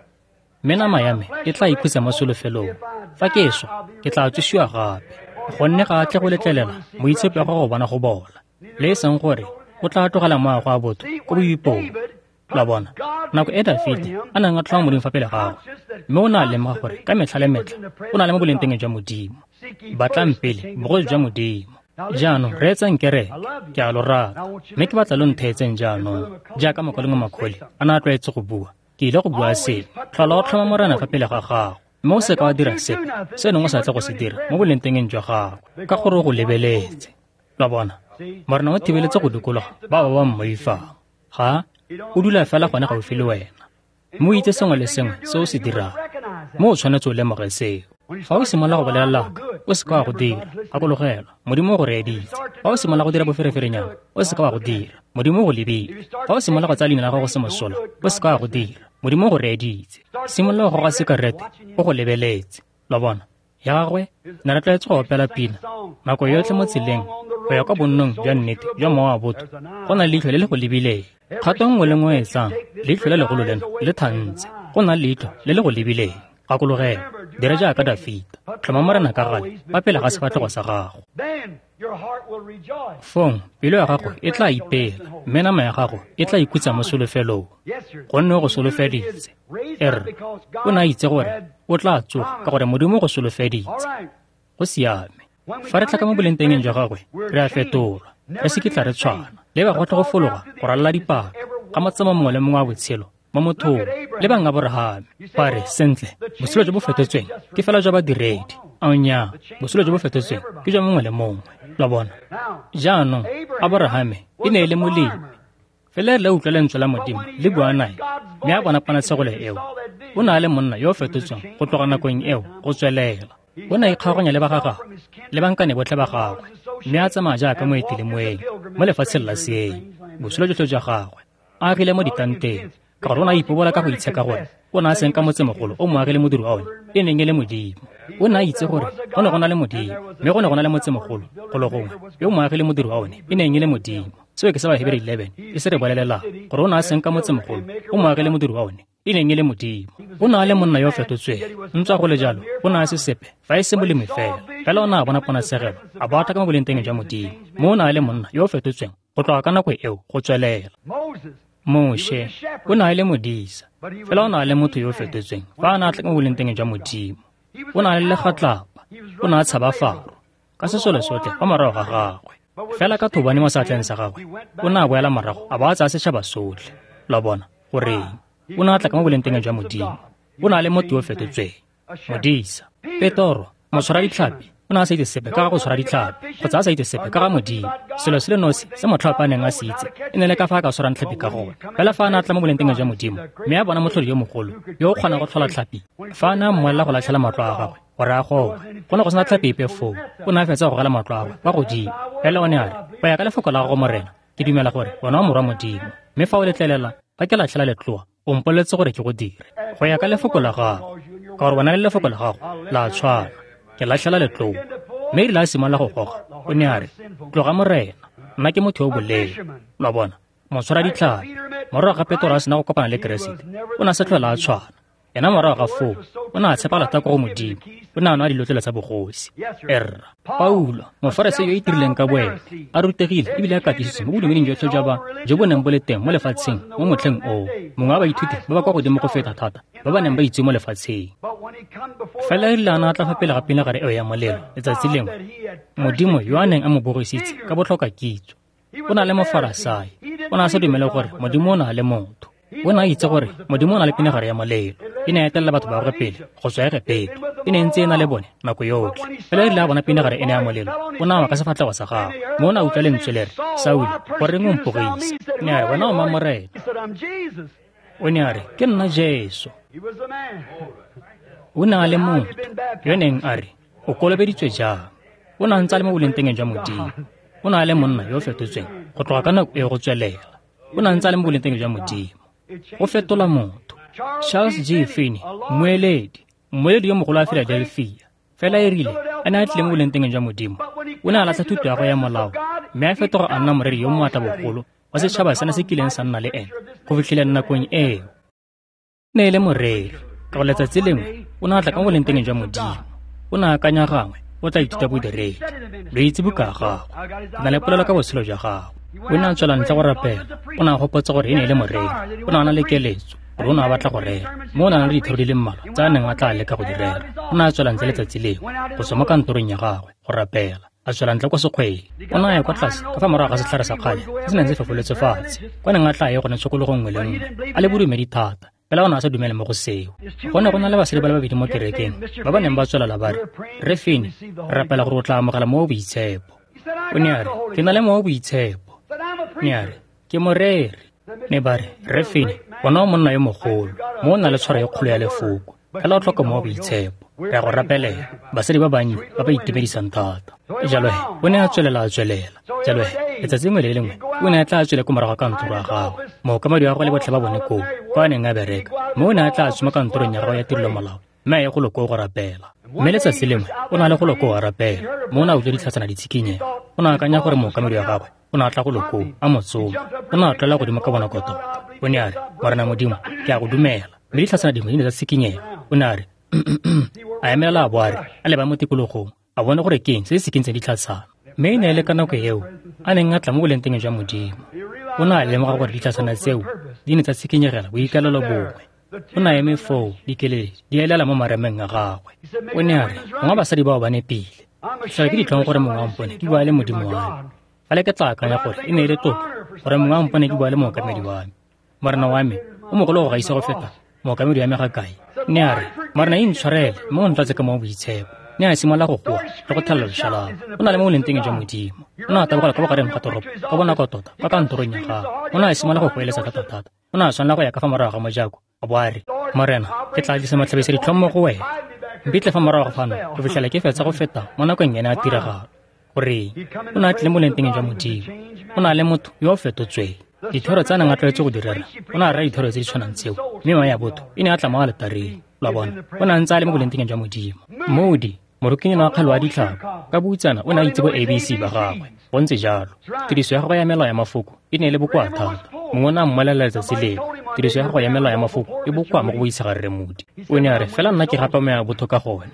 Mme nama ya me e tla ikhutsa mo tsholofelong. Fa ke swa, ke tla tsosiwa gape. Gonne ga a tle go letlelela moitshepi wa go bona go bola, le e seng gore o tla tlogela moago wa botho ko boipong. Lo bona? Nako e Dafite a neng a tlhoma Modimo fa pele gagwe, mme o ne a lemoga gore ka metlha le metlha o na le mo bolengteng jwa Modimo. Batlang pele bogosi jwa Modimo. Jaanong reetsang kereke, ke a lo rata, mme ke batla lo ntheetseng jaanong. Jaaka mokwalengwe Macaulay a ne a tlwaetse go bua, ke ile go bua seno. Tlhola o tlhoma Morena fa pele ga gago, mme o seka wa dira sepe se neng o sa tle go se dira mo bolengtengeng jwa gagwe, ka gore o go lebeletse. Lo bona? Morena o thibeletse go dikologa ba ba mmoifang. Ga o dula fela gone gaufi le wena, mme o itse sengwe le sengwe se o se dirang. Mme o tshwanetse o lemoge seo. Fa o simolola go bolela laka, o seka wa go dira. Gakologelwa, Modimo o go reeditse. Fa o simolola go dira bofereferenyana, o seka wa go dira. Modimo o go lebile. Fa o simolola go tsaya leina la gago se mosola, o seka wa go dira. Modimo o go reeditse. Simolola go goga sikarete, o go lebeletse. Lo bona? Ya gagwe, ne re tlwaetse go opela pina nako yotlhe mo tseleng go ya kwa bonnong jwa nnete jwa mowa wa botho. Go na le leitlho le le go lebileng. Kgato nngwe le nngwe e tsang, leitlho le legolo leno le thantse. Go na le leitlho le le go lebileng. Gakologelwa, dira jaaka Dafita. Tlhoma Morena ka gale fa pele ga sefatlhego sa gago. Fong pelo ya gago e tla ipela, mme nama ya gago e tla ikhutsa mo tsholofelong, gonne o go solofeditse. Erre, o ne a itse gore o tla tsoga ka gore Modimo o go solofeditse. Go siame. Fa re tla ka mo bolengtengeng jwa gagwe, re a fetolwa, re se kitla re tshwana. Le ba gotlhe go fologa go ralala dipaka ga motsamao mongwe le mongwe wa botshelo mo mothong. Le bang Aborahame ba re, sentle, botshelo jo bo fetotsweng ke fela jwa badiredi. Ao nnyaa, botshelo jo bo fetotsweng ke jwa mongwe le mongwe. Lo bona? Jaanong Aborahame e ne e le molemi. Fela re utlwa lentswe la Modimo le bua nae, mme a bona ponatshegelo eo. O ne a le monna yo o fetotsweng go tloga nakong eo go tswelela. O ne a ikgaoganya le ba ga gagwe le bankane botlhe ba gagwe, mme a tsamaya jaaka moeti le moeng mo lefatsheng la seeng. Botshelo jotlhe jwa gagwe a agile mo ditanteng, ka gore o ne a ipobola ka go itsheka gore o ne a senka motsemogolo o mo agile modiri wa one e neng e le Modimo. O ne a itse gore go ne go na le Modimo, mme go ne go na le motsemogolo golo gongwe yo mo agile modiri wa one e neng e le Modimo. Seo ke se Bahebere 11 e se re bolelelang, gore o ne a senka motsemogolo o mo agile modiri wa one e neng e le Modimo. O ne a le monna yo o fetotsweng. Ntswa go le jalo, o ne a se sepe fa e se molemi fela. Fela o ne a bona ponatshegelo, a bo a tla ka mo bolengteng jwa Modimo. Mme o ne a le monna yo o fetotsweng go tloga ka nako eo go tswelela. Moshe o ne a le modisa, fela o ne a le motho yo o fetotsweng fa a ne a tla ka mo bolengteng jwa Modimo. O ne a le legatlapa, o ne a tshaba Faro ka sesole sotlhe fa morago ga gagwe. Fela ka thobane mo seatleng sa gagwe, o ne a boela morago a bo a tsaya setšhaba sotlhe. Lo bona? Goreng? O ne a tla ka mo bolengteng jwa Modimo. O ne a le motho yo o fetotsweng, modisa. Petoro, motshwara ditlhapi, o ne a sa itse sepe ka ga go tshwara ditlhapi, kgotsa a sa itse sepe ka ga Modimo. Selo se le nosi se motlhapi a neng a se itse e ne le ka fa a ka tshwarang tlhapi ka gone. Fela fa a ne a tla mo bolengteng jwa Modimo, mme a bona motlhodi yo mogolo yo o kgonang go tlhola tlhapi, fa a ne a mmolelela go latlhela matlo a gagwe gore a goge, go ne go sena tlhapi epe foo. O ne a fetsa go gogela matlo a gagwe kwa godimo. Fela o ne a re, go ya ka lefoko la gago Morena, ke dumela gore wena o morwa Modimo, mme fa o letlelela fa ke latlhela letloa, o mpoleletse gore ke go dire go ya ka lefoko la gago, ka gore wena le lefoko la gago la tshwana. Ke latlhela letloa. Mme erile a simolola go goga, o ne a re, tloga Morena, nna ke motho yo o boleo. Lo bona? Motshwara ditlhapi. Morago ga Petoro a sena go kopana le Keresete, o ne a se tlhola a tshwana. Ena morago ga foo o ne a tshepagala thata ko go Modimo, o ne a nwa dilotlele tsa bogosi. Erra Paulo, mofarasei yo o itirileng ka boene, a rutegile ebile a katisitswe mo bodumeding jotlhe jwa ba jo bo neng bo le teng mo lefatsheng mo motlheng oo, mongwe wa baithuti ba ba kwa godimo go feta thata ba ba neng ba itse mo lefatsheng. Fela erile a ne a tla fa pele ga pinagare eo ya molelo letsatsi lengwe, Modimo yo a neng a mo bogisitse ka botlhoka kitso, o na le mofarasai, o ne a sa dumele gore Modimo o na le motho. O ne a itse gore Modimo o na le pinagare ya molelo, e ne a etelela batho ba gagwe pele go tswa Egepeto, e ne ntse e na le bone nako yotlhe. Fela erile a bona pinagare ene ya molelo, o ne a wa ka sefatlhego sa gagwe, mme o ne a utlwa lentswe le re, Saulo, goreng o mpogisa? Ne a re, wena o mang, Morena? O ne a re, ke nna Jesu. O ne a le motho yo neng a re, o kolobeditswe jang? O ne a ntse a le mo bolengtengeng jwa Modimo. O ne a le monna yo o fetotsweng go tloga ka nako e go tswelela. O ne a ntse a le mo bolengtengeng jwa Modimo. Go fetola motho. Charles G. Finney, mmueledi yo mogolo wa Philadelphia, fela erile a ne a tlile mo bolengtengeng jwa Modimo, o ne a latlha thuto ya gagwe ya molao mme a fetoga a nna moreri yo moatla bogolo wa setšhaba sena se kileng sa nna le ene go fitlhelela nakong eo. Ne e le moreri, ka go letsatsi lengwe o ne a tla ka mo bolengtengeng jwa Modimo. O ne a akanya gangwe o tla ithuta bodiredi. Lo itse buka ya gagwe, ke na le polelo ka botshelo jwa gagwe. O ne a tswela ntle go rapela, o ne a gopotsa gore e ne e le moreri, o ne a na le keletso gore o ne a batla go rera, mme o ne a na le dithero di le mmalwa tse a neng a tla leka go di rera. O ne a tswela ntle letsatsi lengwe go tswa mo kantorong ya gagwe go rapela, a tswela ntle kwa sekgweng. O ne a ya kwa tlase ka fa morago ga setlhare sa kgale se se neng se fefoletswe fatshe, kwa neng a tla ye gone tshokologo nngwe le nngwe, a le bodumedi thata. Fela o ne a sa dumele mo go seo. Go ne go na le basadi ba le babedi mo kerekeng ba ba neng ba tswelela ba re, Rre Finney, re rapela gore o tla amogela mowa o boitshepo. O ne a re, ke na le mowa o boitshepo. Ne a re, ke moreri. Ne ba re, Rre Finney, wena o monna yo mogolo, mo o na le tshwaro e kgolo ya lefoko, fela o tlhoka mowa o boitshepo. Re a go rapelela. Basadi ba bannye ba ba itumedisang thata. Jalo he, o ne a tswelela a tswelela. Jalo he, letsatsi lengwe le lengwe o ne a tla tswele ko morago ga kantoro ya gagwe. Mookamedi wa gagwe le botlhe ba bone koo, kwa a neng a bereka, mme o ne a tla tsoma kantorong ya gagwe ya tirelo molao, mme a ye golo koo go rapela. Mme letsatsi lengwe o ne a le golo koo a rapela, mme o ne a utlwa ditlhatsana di tshikinyega. O ne a akanya gore mookamedi wa gagwe o ne a tla golo koo a mo tsoma. O ne a tlola godimo ka bonako tota. O ne a re, Morena Modimo, ke a go dumela. Mme ditlhatsana dingwe di ne tsa tshikinyega. O ne a re, a emelela a bo a re, a leba mo tikologong, a bone gore ke eng se se sikintseng ditlhatsana. Mme e ne e le ka nako eo a neng a tla mo bolengtengeng jwa Modimo. O ne a lemoga gore ditlhatsana tseo di ne tsa tshikinyegela boikalelo bongwe. O ne a eme foo, dikeledi di elela mo marameng a gagwe. O ne a re, gongwe basadi bao ba nepile. Ke ke ditlhong gore mongwe wa mpone ke bua le Modimo wa me. Fela ke tla akanya gore e ne e le tlotlo gore mongwe wa mpone ke bua le mookamedi wa me. Morena wa me o mogolo go gaisa go feta mookamedi wa me ga kae. Ne a re, Morena intshwarele mme o ntlatse ka mowa o boitshepo. Ne a simolola go goa le go thelela loshalaba. O na le mo bolengtengeng jwa Modimo. O ne a tabogela kwa bogareng ga toropo ka bonako tota kwa kantorong ya gagwe. O ne a simolola go goeletsa thata-thata. O ne a tshwanela go ya ka fa morago ga mojako, a bo a re, Morena, ke tla tlisa matlhabisa ditlhong mo go wena. Mpitle fa morago fano go fitlhela ke fetsa go feta mo nakong ena ya tiragalo. Goreng? O ne a tlile mo bolengtengeng jwa Modimo. O na le motho yo o fetotsweng. Dithero tse a neng a tlwaetse go di rera, o ne a rera dithero tse di tshwanang tseo, mme mewa ya botho e ne a tla mo aletareng. Lo a bona, o ne a ntse a le mo bolengtengeng jwa Modimo. Moody, morokinyana wa kgale wa ditlhako, ka boutsana o ne a itse bo ABC ba gagwe. Go ntse jalo. Tiriso ya gagwe ya melao ya mafoko e ne e le bokoa thata. Mongwe o ne a mmolelela letsatsi lengwe, tiriso ya gagwe ya melao ya mafoko e bokoa mo go boitshegang Rre Moody. O ne a re, fela nna ke gapa moya botho ka gone.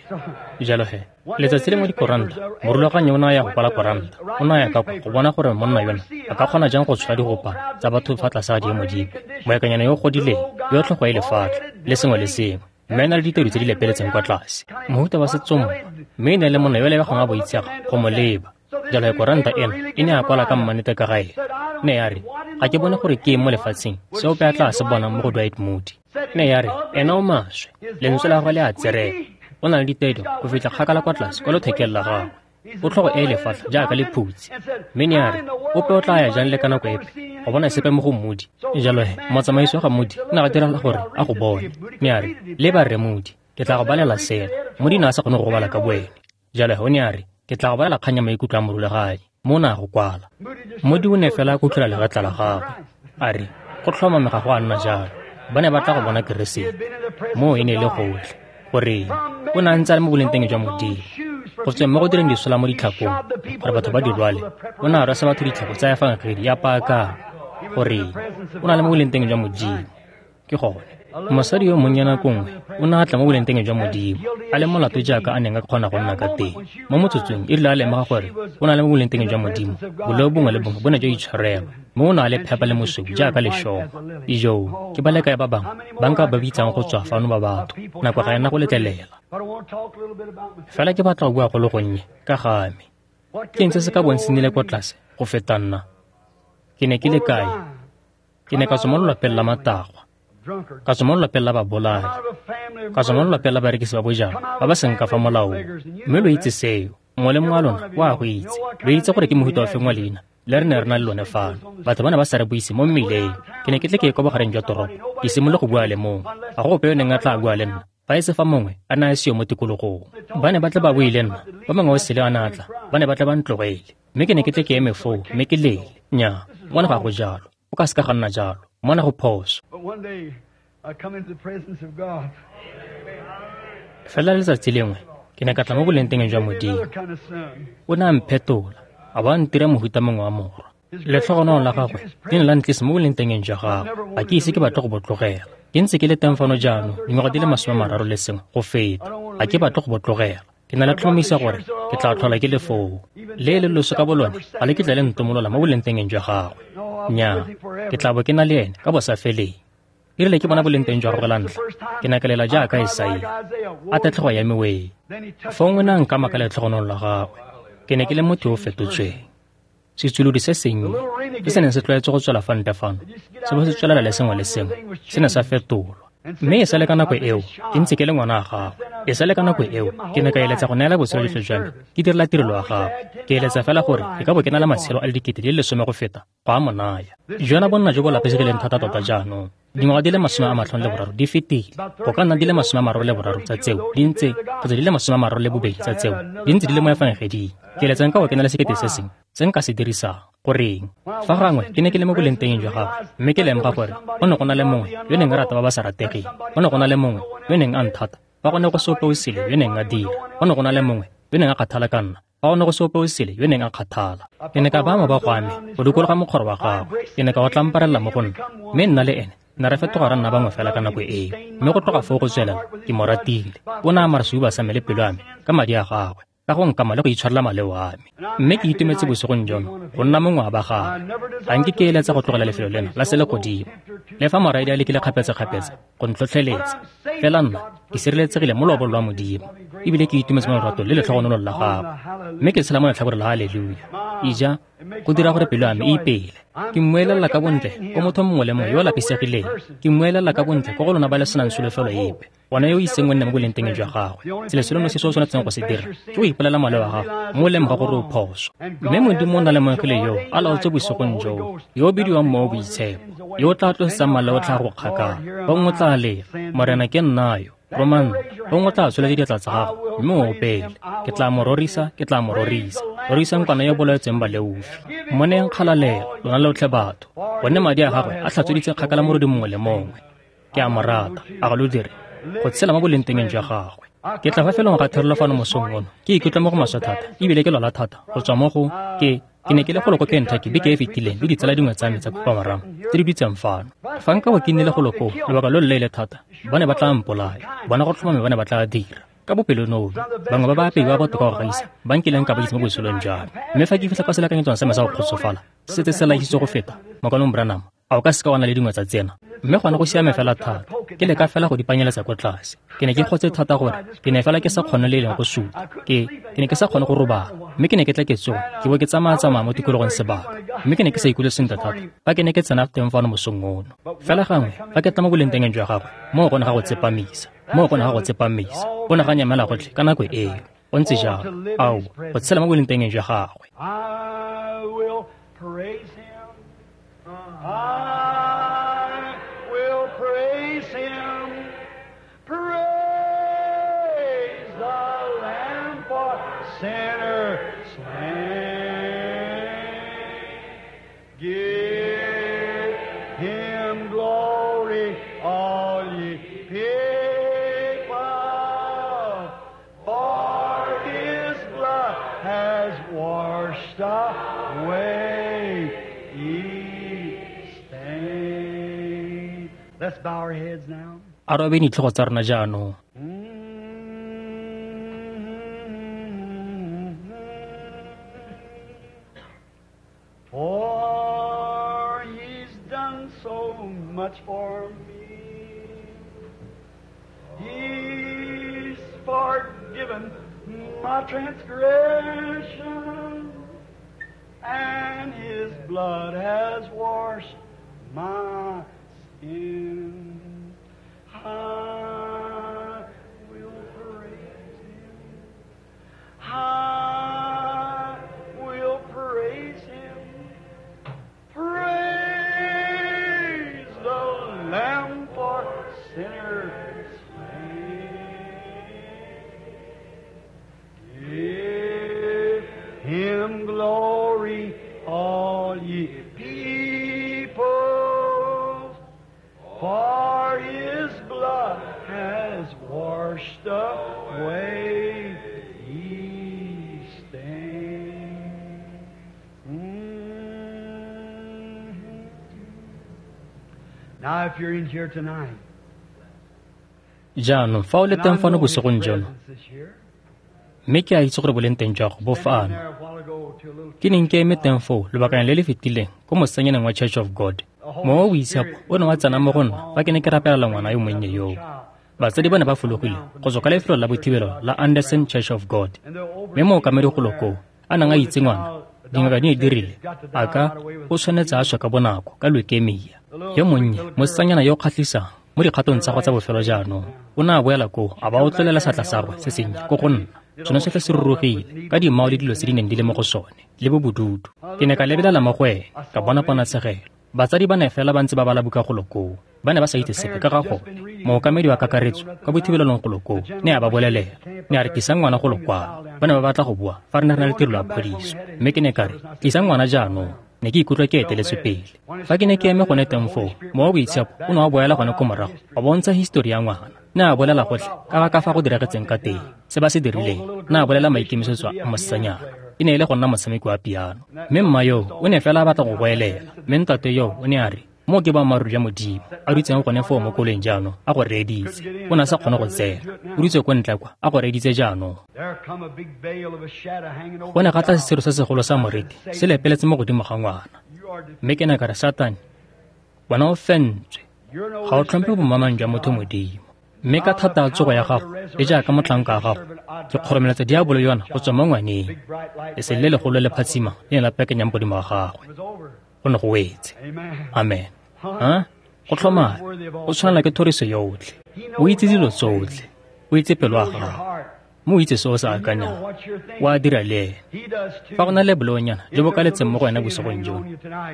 Jalo he, letsatsi lengwe dikoranta, morulaganyi o ne a ya go kwala koranta. O ne a ya ka kwa go bona gore monna yona a ka kgona jang go tshola digopa tsa batho fa tlase ga diemo dipe. Moekanyana yo o godileng, yo tlhogo e lefatlha, le sengwe le sengwe, mme a na le ditedu tse di lepeletseng kwa tlase. Mohuta wa setsompa, mme e ne e le monna yo lebegang a boitshega go mo leba. Jalo he koranta ena e ne a kwala ka mannete ka ga ene. Ne ya re, ga ke bone gore ke eng mo lefatsheng se ope a tla se bonang mo go Dwight Moody. Ne ya re, ena o maswe, lentswe la gagwe le a tserega. O na le ditedu go fitlha kgakala kwa tlase kwa lothekeng la gagwe. O tlhogo e lefatlha jaaka lephutsi. Mme ne ya re, ope o tla ya jang le ka nako epe go bona sepe mo go Moody. Jalo he, motsamaisi wa ga Moody o ne a diragala gore a go bone. Ne a re, leba Rre Moody, ke tla go balela sena. Moody ne a sa kgone go go bala ka boene. Jalo he o ne a re, ke tla go balela kgang ya maikutlo a morulaganyi, mo o ne a go kwala. Moody o ne fela a kutlwela legetla la gagwe. A re, go tlhomame ga go a nna jalo. Ba ne ba tla go bona Keresete. Moo e ne e le gotlhe. Goreng? O ne a ntse a le mo bolengteng jwa Modimo. Go tsweng mo go direng disola mo ditlhakong gore batho ba di rwale, o ne a rwesa batho ditlhako tsa efangedi ya paakanyo. Goreng? O na le mo bolengteng jwa Modimo. Ke gone. Mosadi yo monnye nako nngwe o ne a tla mo bolengteng jwa Modimo, a le molato jaaka a neng a kgona go nna ka teng. Mo motsotsong e rile a lemoga gore o na le mo bolengteng jwa Modimo, boleo bongwe le bongwe bo ne jwa itshwarelwa, mme o ne a le phepa le mosweu jaaka lešoba. Ijoo, ke ba le kae ba bangwe ba nka ba bitsang go tswa fano ba batho, nako ga ena go letlelela. Fela ke batla go bua go le gonnye ka ga me. Ke eng se se ka bong se nnile kwa tlase go feta nna? Ke ne ke le kae? Ke ne ka tswa mo lelapeng la matagwa, ka tswa mo lelapeng la babolai, ka tswa mo lelapeng la barekisi ba bojalwa ba ba seng ka fa molaong. Mme lo itse seo, mongwe le mongwe wa lona o a go itse. Lo itse gore ke mohuta ofe wa leina le re ne re na le lone fano. Batho ba ne ba sa re buise mo mmileng. Ke ne ke tle ke ye kwa bogareng jwa toropo, ke simolole go bua le mongwe. Ga go ope yo neng a tla bua le nna, fa e se fa mongwe a ne a seo mo tikologong. Ba ne ba tle ba bue le nna, fa mongwe o sele a ne a tla, ba ne ba tle ba ntlogele. Mme ke ne ke tle ke eme foo, mme ke lele. Nnyaa, mona ga go jalo. O ka seka ga nna jalo. Mona go phoso. Fela letsatsi lengwe, ke ne ka tla mo bolengteng jwa Modimo. O ne a mphetola, a ba a ntira mohuta mongwe wa morwa. Letlhogonolo la gagwe le ne la ntlisa mo bolengteng jwa gagwe. Ga ke ise ke batle go bo tlogela. Ke ntse ke le teng fano jaanong dingwaga di le 31 go feta. Ga ke batle go bo tlogela. Ke na le tlhomamisa gore ke tla tlhola ke le foo. Le le loso ka bolone ga le kitla le ntomolola mo bolengteng jwa gagwe. Nnyaa, ke tla bo ke na le ene ka bosafeleng. E rile ke bona bolengteng jwa gagwe la ntlha, ke ne ka lela jaaka Isaia, a tatlhego ya me wee. Fong o ne a nkama ka letlhogonolo la gagwe. Ke ne ke le motho yo o fetotsweng. Setsulodi se sennye se se neng se tlwaetse go tswela fa ntle fano, se bo se tswelela le sengwe le sengwe, se ne sa fetolwa. Mme e sale ka nako eo, ke ntse ke le ngwana wa gagwe. E sale ka nako eo, ke ne ka eletsa go neela botshelo jotlhe jwa me, ke direla tirelo ya gagwe. Ke eletsa fela gore ke ka bo ke na le matshelo a le 10,000 go feta go a mo naya. Jona bonna jo bo lapisegileng thata tota jaanong. Dingwaga di le 53 di fetile. Go ka nna di le 33 tsa tseo di ntse, kgotsa di le 32 tsa tseo di ntse di le mo efangeding. Ke eletsa nka bo ke na le 1000 se sengwe se nka se dirisang. Goreng? Fa gangwe ke ne ke le mo bolengteng jwa gagwe, mme ke lemoga gore go ne go na le mongwe yo neng a rata ba ba sa rategeng. Go ne go na le mongwe yo neng a nthata, fa go ne go se ope o sele yo neng a dira. Go ne go na le mongwe yo neng a kgathala ka nna, fa go ne go se ope o sele yo neng a kgathala. Ke ne ka baya mabogo a me go dikologa mokgoro wa gagwe. Ke ne ka o tlamparela mo go nna, mme nna le ene ne re fetoga ra nna bangwe fela ka nako eo. Mme go tloga foo go tswelela, ke mo ratile. O ne a amara sehuba sa me le pelo ya me ka madi a gagwe, ka go nkama le go itshwarela maleo a me. Mme ke itumetse bosigong jono go nna mongwe wa ba gagwe. Ga nke ke eletsa go tlogela lefelo lena la selegodimo, le fa moraedi a lekile kgapetsa-kgapetsa go ntlhotlheletsa. Fela nna ke sireletsegile mo loobong lwa Modimo, ebile ke itumetse mo loratong le letlhogonolong la gagwe. Mme ke tshela mo letlhakoreng la haleluya. Ija, go dira gore pelo ya me e ipele. Ke mmuelela ka bontle ko motho mongwe le mongwe yo o lapisegileng. Ke mmuelela ka bontle ko go lona ba le senang solofelo epe, bona yo o iseng o nne mo bolengteng jwa gagwe. Selo se lone se se o tshwanetseng go se dira ke go ipolela maleo a gago, mme o lemoga gore o phoso. Mme Modimo o na le moengele yo a laotse bosigong joo, yo o bidiwang Mowa o Boitshepo, yo o tla tlosetsang maleo a tlhago kgakala. Gongwe o tla lela, Morena ke nna yo, roma nna. Gongwe o tla tsholetsa diatla tsa gago, mme o opele, ke tla mo rorisa, ke tla mo rorisa. Rorisang kwana yo bolaetsweng baleofi. Mo neyeng kgalalelo, lona lotlhe batho, gonne madi a gagwe a tlhatsweditse kgakala morodi mongwe le mongwe. Ke a mo rata, a ga lo dire, go tshela mo bolengteng jwa gagwe. Ke tla fa felong ga therelo fano mosong ono, ke ikutlwa mo go maswe thata, ebile ke lwala thata go tswa mo go ke ne ke le golo ko Kentucky beke e fetileng le ditsala dingwe tsa me tsa khupamarama tse di dutseng fano. Fa nka bo ke nnile golo koo lobaka lo loleele thata, ba ne ba tla mpolaya. Bona go tlhomame ba ne ba tla dira ka bopelonomi. Bangwe ba baapei ba botoka go gaisa ba nkileng ka ba itse mo botshelong jwa me. Mme fa ke fitlha kwa selekanyetsong sa me sa go kgotsofala, se setse se laisitswe go feta Mokaulengwe Branham, a o ka seka wa na le dingwe tsa tsena? Mme gone go siame fela thata. Ke leka fela go di panyeletsa ko tlase. Ke ne ke kgotse thata gore ke ne fela ke sa kgone le e leng go suta. Ke ne ke sa kgone go robala, mme ke ne ke tla ke tsoga, ke bo ke tsamaya-tsamaya mo tikologong sebaka. Mme ke ne ke sa ikutlwe sentle thata fa ke ne ke tsena teng fano mosong ono. Fela gangwe fa ke tla mo bolengteng jwa gagwe, moo go ne ga go tsepamisa. Moo go ne ga go tsepamisa. Go ne ga nyamela gotlhe ka nako eo. Go ntse jalo. Ao, go tshela mo bolengteng jwa gagwe. I will praise him. I will praise him. Praise the Lamb for sinners slain. Give him glory, all ye people, for his blood has washed away ye stain. Let's bow our heads now. A re obeng ditlhogo tsa rona jaanong. For he's done so much for me. He's forgiven my transgression, and his blood has washed my sin. I will praise him. I will praise him. Praise the Lamb for sinners slain. Give him glory, all ye people, for his blood has washed away ye stain. Mm-hmm. Now, if you're in here tonight, Jaanong fa o le teng fano bosigong jono, mme ke a itse gore boleng teng jwa go bo fano. Ke neng ke eme teng foo lobakanyana le le fetileng ko mosanyaneng wa Church of God. Mowa o boitshepo o ne wa tsena mo go nna fa ke ne ke rapelela ngwana yo monnye yoo. Batsadi ba ne ba fologile go tswa ka lefelo la bothibelo la Anderson Church of God. Mme mookamedi golo koo a neng a itse ngwana, dingaka di ne di rile a ka o tshwanetse a swe ka bonako ka leukemia. Yo monnye, mosetsanyana yo o kgatlhisang mo dikgatong tsa gagwe tsa bofelo jaanong, o ne a boela koo a ba o tlolela seatla sa gagwe se sennye ko go nna. Sone sotlhe se rurugile ka dimao le dilo tse di neng di le mo go sone le bo bodutu. Ke ne ka lebelela mo go ene, ka bona ponatshegelo. Batsadi ba ne fela ba ntse ba bala buka golo koo. Ba ne ba sa itse sepe ka ga gone. Mookamedi wa kakaretso ka bothibelelong golo koo ne a ba bolelela. Ne a re tlisang ngwana golo kwano. Ba ne ba batla go bua fa re ne re na le tirelo ya phodiso. Mme ke ne ka re, tlisang ngwana jaanong. Ne ke ikutlwa ke eteletswe pele. Fa ke ne ke eme gone teng foo, mowa o boitshepo o ne wa boela gone ko morago, wa bontsha histori ya ngwana. Ne a bolela gotlhe ka ga ka fa go diragetseng ka teng, se ba se dirileng. Ne a bolela maikemisetso a mosetsanyana. E ne e le go nna motshameki wa piano. Mme mma yoo o ne fela a batla go goelela. Mme ntate yoo o ne a re, mo ke boammaaruri jwa Modimo, a dutseng gone foo mo koloing jaanong a go reeditse. O ne a sa kgone go tsena. O dutse ko ntle kwa a go reeditse jaanong. Go ne ga tla sesiro se segolo sa moriti se lepeletse mo godimo ga ngwana. Mme ke ne ka re, Satane, wena o fentswe. Ga o tlhomphe bomamang jwa motho Modimo. Mme ka thata ya tsogo ya gago le jaaka motlhanka wa gago, ke kgoromeletsa diabolo yona go tswa mo ngwaneng. Lesedi le legolo le phatsima le ne la pekenyang godimo ga gagwe. Go ne go wetse. Amen. Ha? Go tlhomame, o tshwanela ke thoriso yotlhe. O itse dilo tsotlhe. O itse pelo ya gago. Mme o itse se o se akanyang. O a dira le ene. Fa go na le boleonyana jo bo kaletseng mo go wena bosigong jono,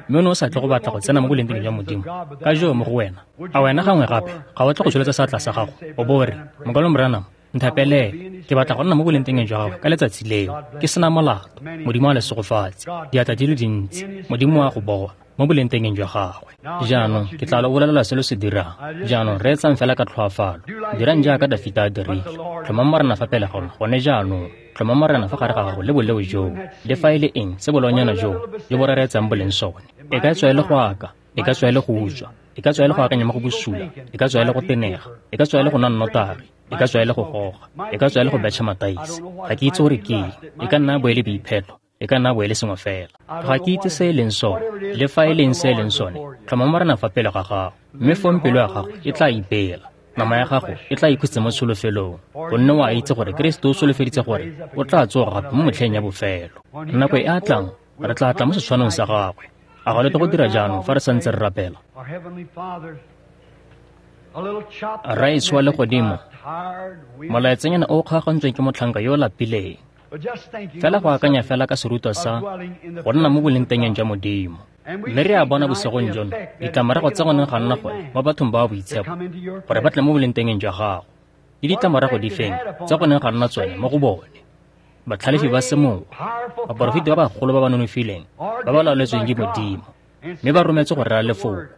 mme o ne o sa tle go batla go tsena mo bolengteng jwa Modimo ka joo mo go wena, a wena gangwe gape ga o tle go tsholetsa seatla sa gago o bo o re, Mokwalo Branham, nthapelele, ke batla go nna mo bolengteng jwa gago ka letsatsi leo, ke sena molato. Modimo a le segofatse. Diatla di le dintsi, Modimo a go bona mo bolengteng jwa gagwe. Jaanong ke tla lo bolelela se lo se dirang. Jaanong reetsang fela ka tlhoafalo. Dirang jaaka Dafita a dirile. Tlhomang Morena fa pele ga lona gone jaanong. Tlhomang Morena fa gare ga gago le boleo joo, le fa e le eng se boleonyana joo jo bo rereetsang boleng sone. E ka tswa e le go aka, e ka tswa e le go utswa, e ka tswa e le go akanya mo go bosula, e ka tswa e le go tenega, e ka tswa e le go nwa nnotagi, e ka tswa e le go goga, e ka tswa e le go betšha mataese. Ga ke itse gore ke eng. E ka nna bo e le boipheto, e ka nna bo e le sengwe fela. Ga ke itse se e leng sone, le fa e leng se e leng sone. Tlhoma Morena fa pele ga gago, mme fong pelo ya gago e tla ipela. Nama ya gago e tla ikhutsa mo tsholofelong, gonne o a itse gore Keresete o solofeditse gore o tla tsoga gape mo motlheng ya bofelo. Nako e a tlang, re tla tla mo setshwanong sa gagwe. A ga le tle go dira jaanong fa re santse re rapela? Rraetsho wa legodimo, molaetsanyana o o kgaogantsweng ke motlhanka yo o lapileng. Fela go akanya fela ka serutwa sa go nna mo bolengtengeng jwa Modimo. Mme re a bona bosigong jono ditlamorago tsa gone ga nna gone mo bathong ba ba boitshepo gore ba tle mo bolengtengeng jwa gago. Le ditlamorago di feng tsa gone ga nna tsone mo go bone. Batlhalefi ba semowa, baporofeti ba bagolo ba ba nonofileng, ba ba laoletsweng ke Modimo, mme ba rometse go rera lefoko.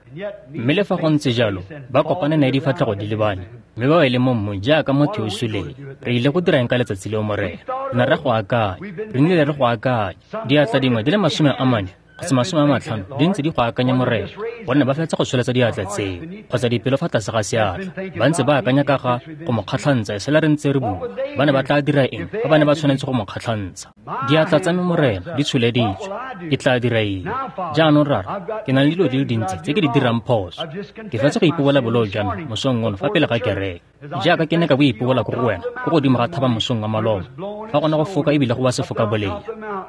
Mme le fa go ntse jalo, ba kopane nae difatlhego di lebane, mme ba wele mo mmung jaaka motho yo o suleng. Re ile go dirang ka letsatsi leo, Morena? Re ne re go akanya, re nnile re go akanya. Diatla dingwe di le 40 kgotsa 50 di ntse di go akanya Morena, gonne ba fetsa go tsholetsa diatla tseo kgotsa dipelo fa tlase ga seatla, ba ntse ba akanya ka ga go mo kgatlhantsha e sela re ntse re bua. Ba ne ba tla dira eng fa ba ne ba tshwanetse go mo kgatlhantsha? Diatla tsa me Morena di tsholeditswe, ke tla dira eng? Jaanong Rara, ke na le dilo di le dintsi tse ke di dirang phoso. Ke fetsa go ipobola boleo jwa me mosong ono fa pele ga kereke, jaaka ke ne ka bo ipobola ko go wena ko godimo ga thaba mosong wa maloba, fa gona go foka ebile go ba sefoka bolea.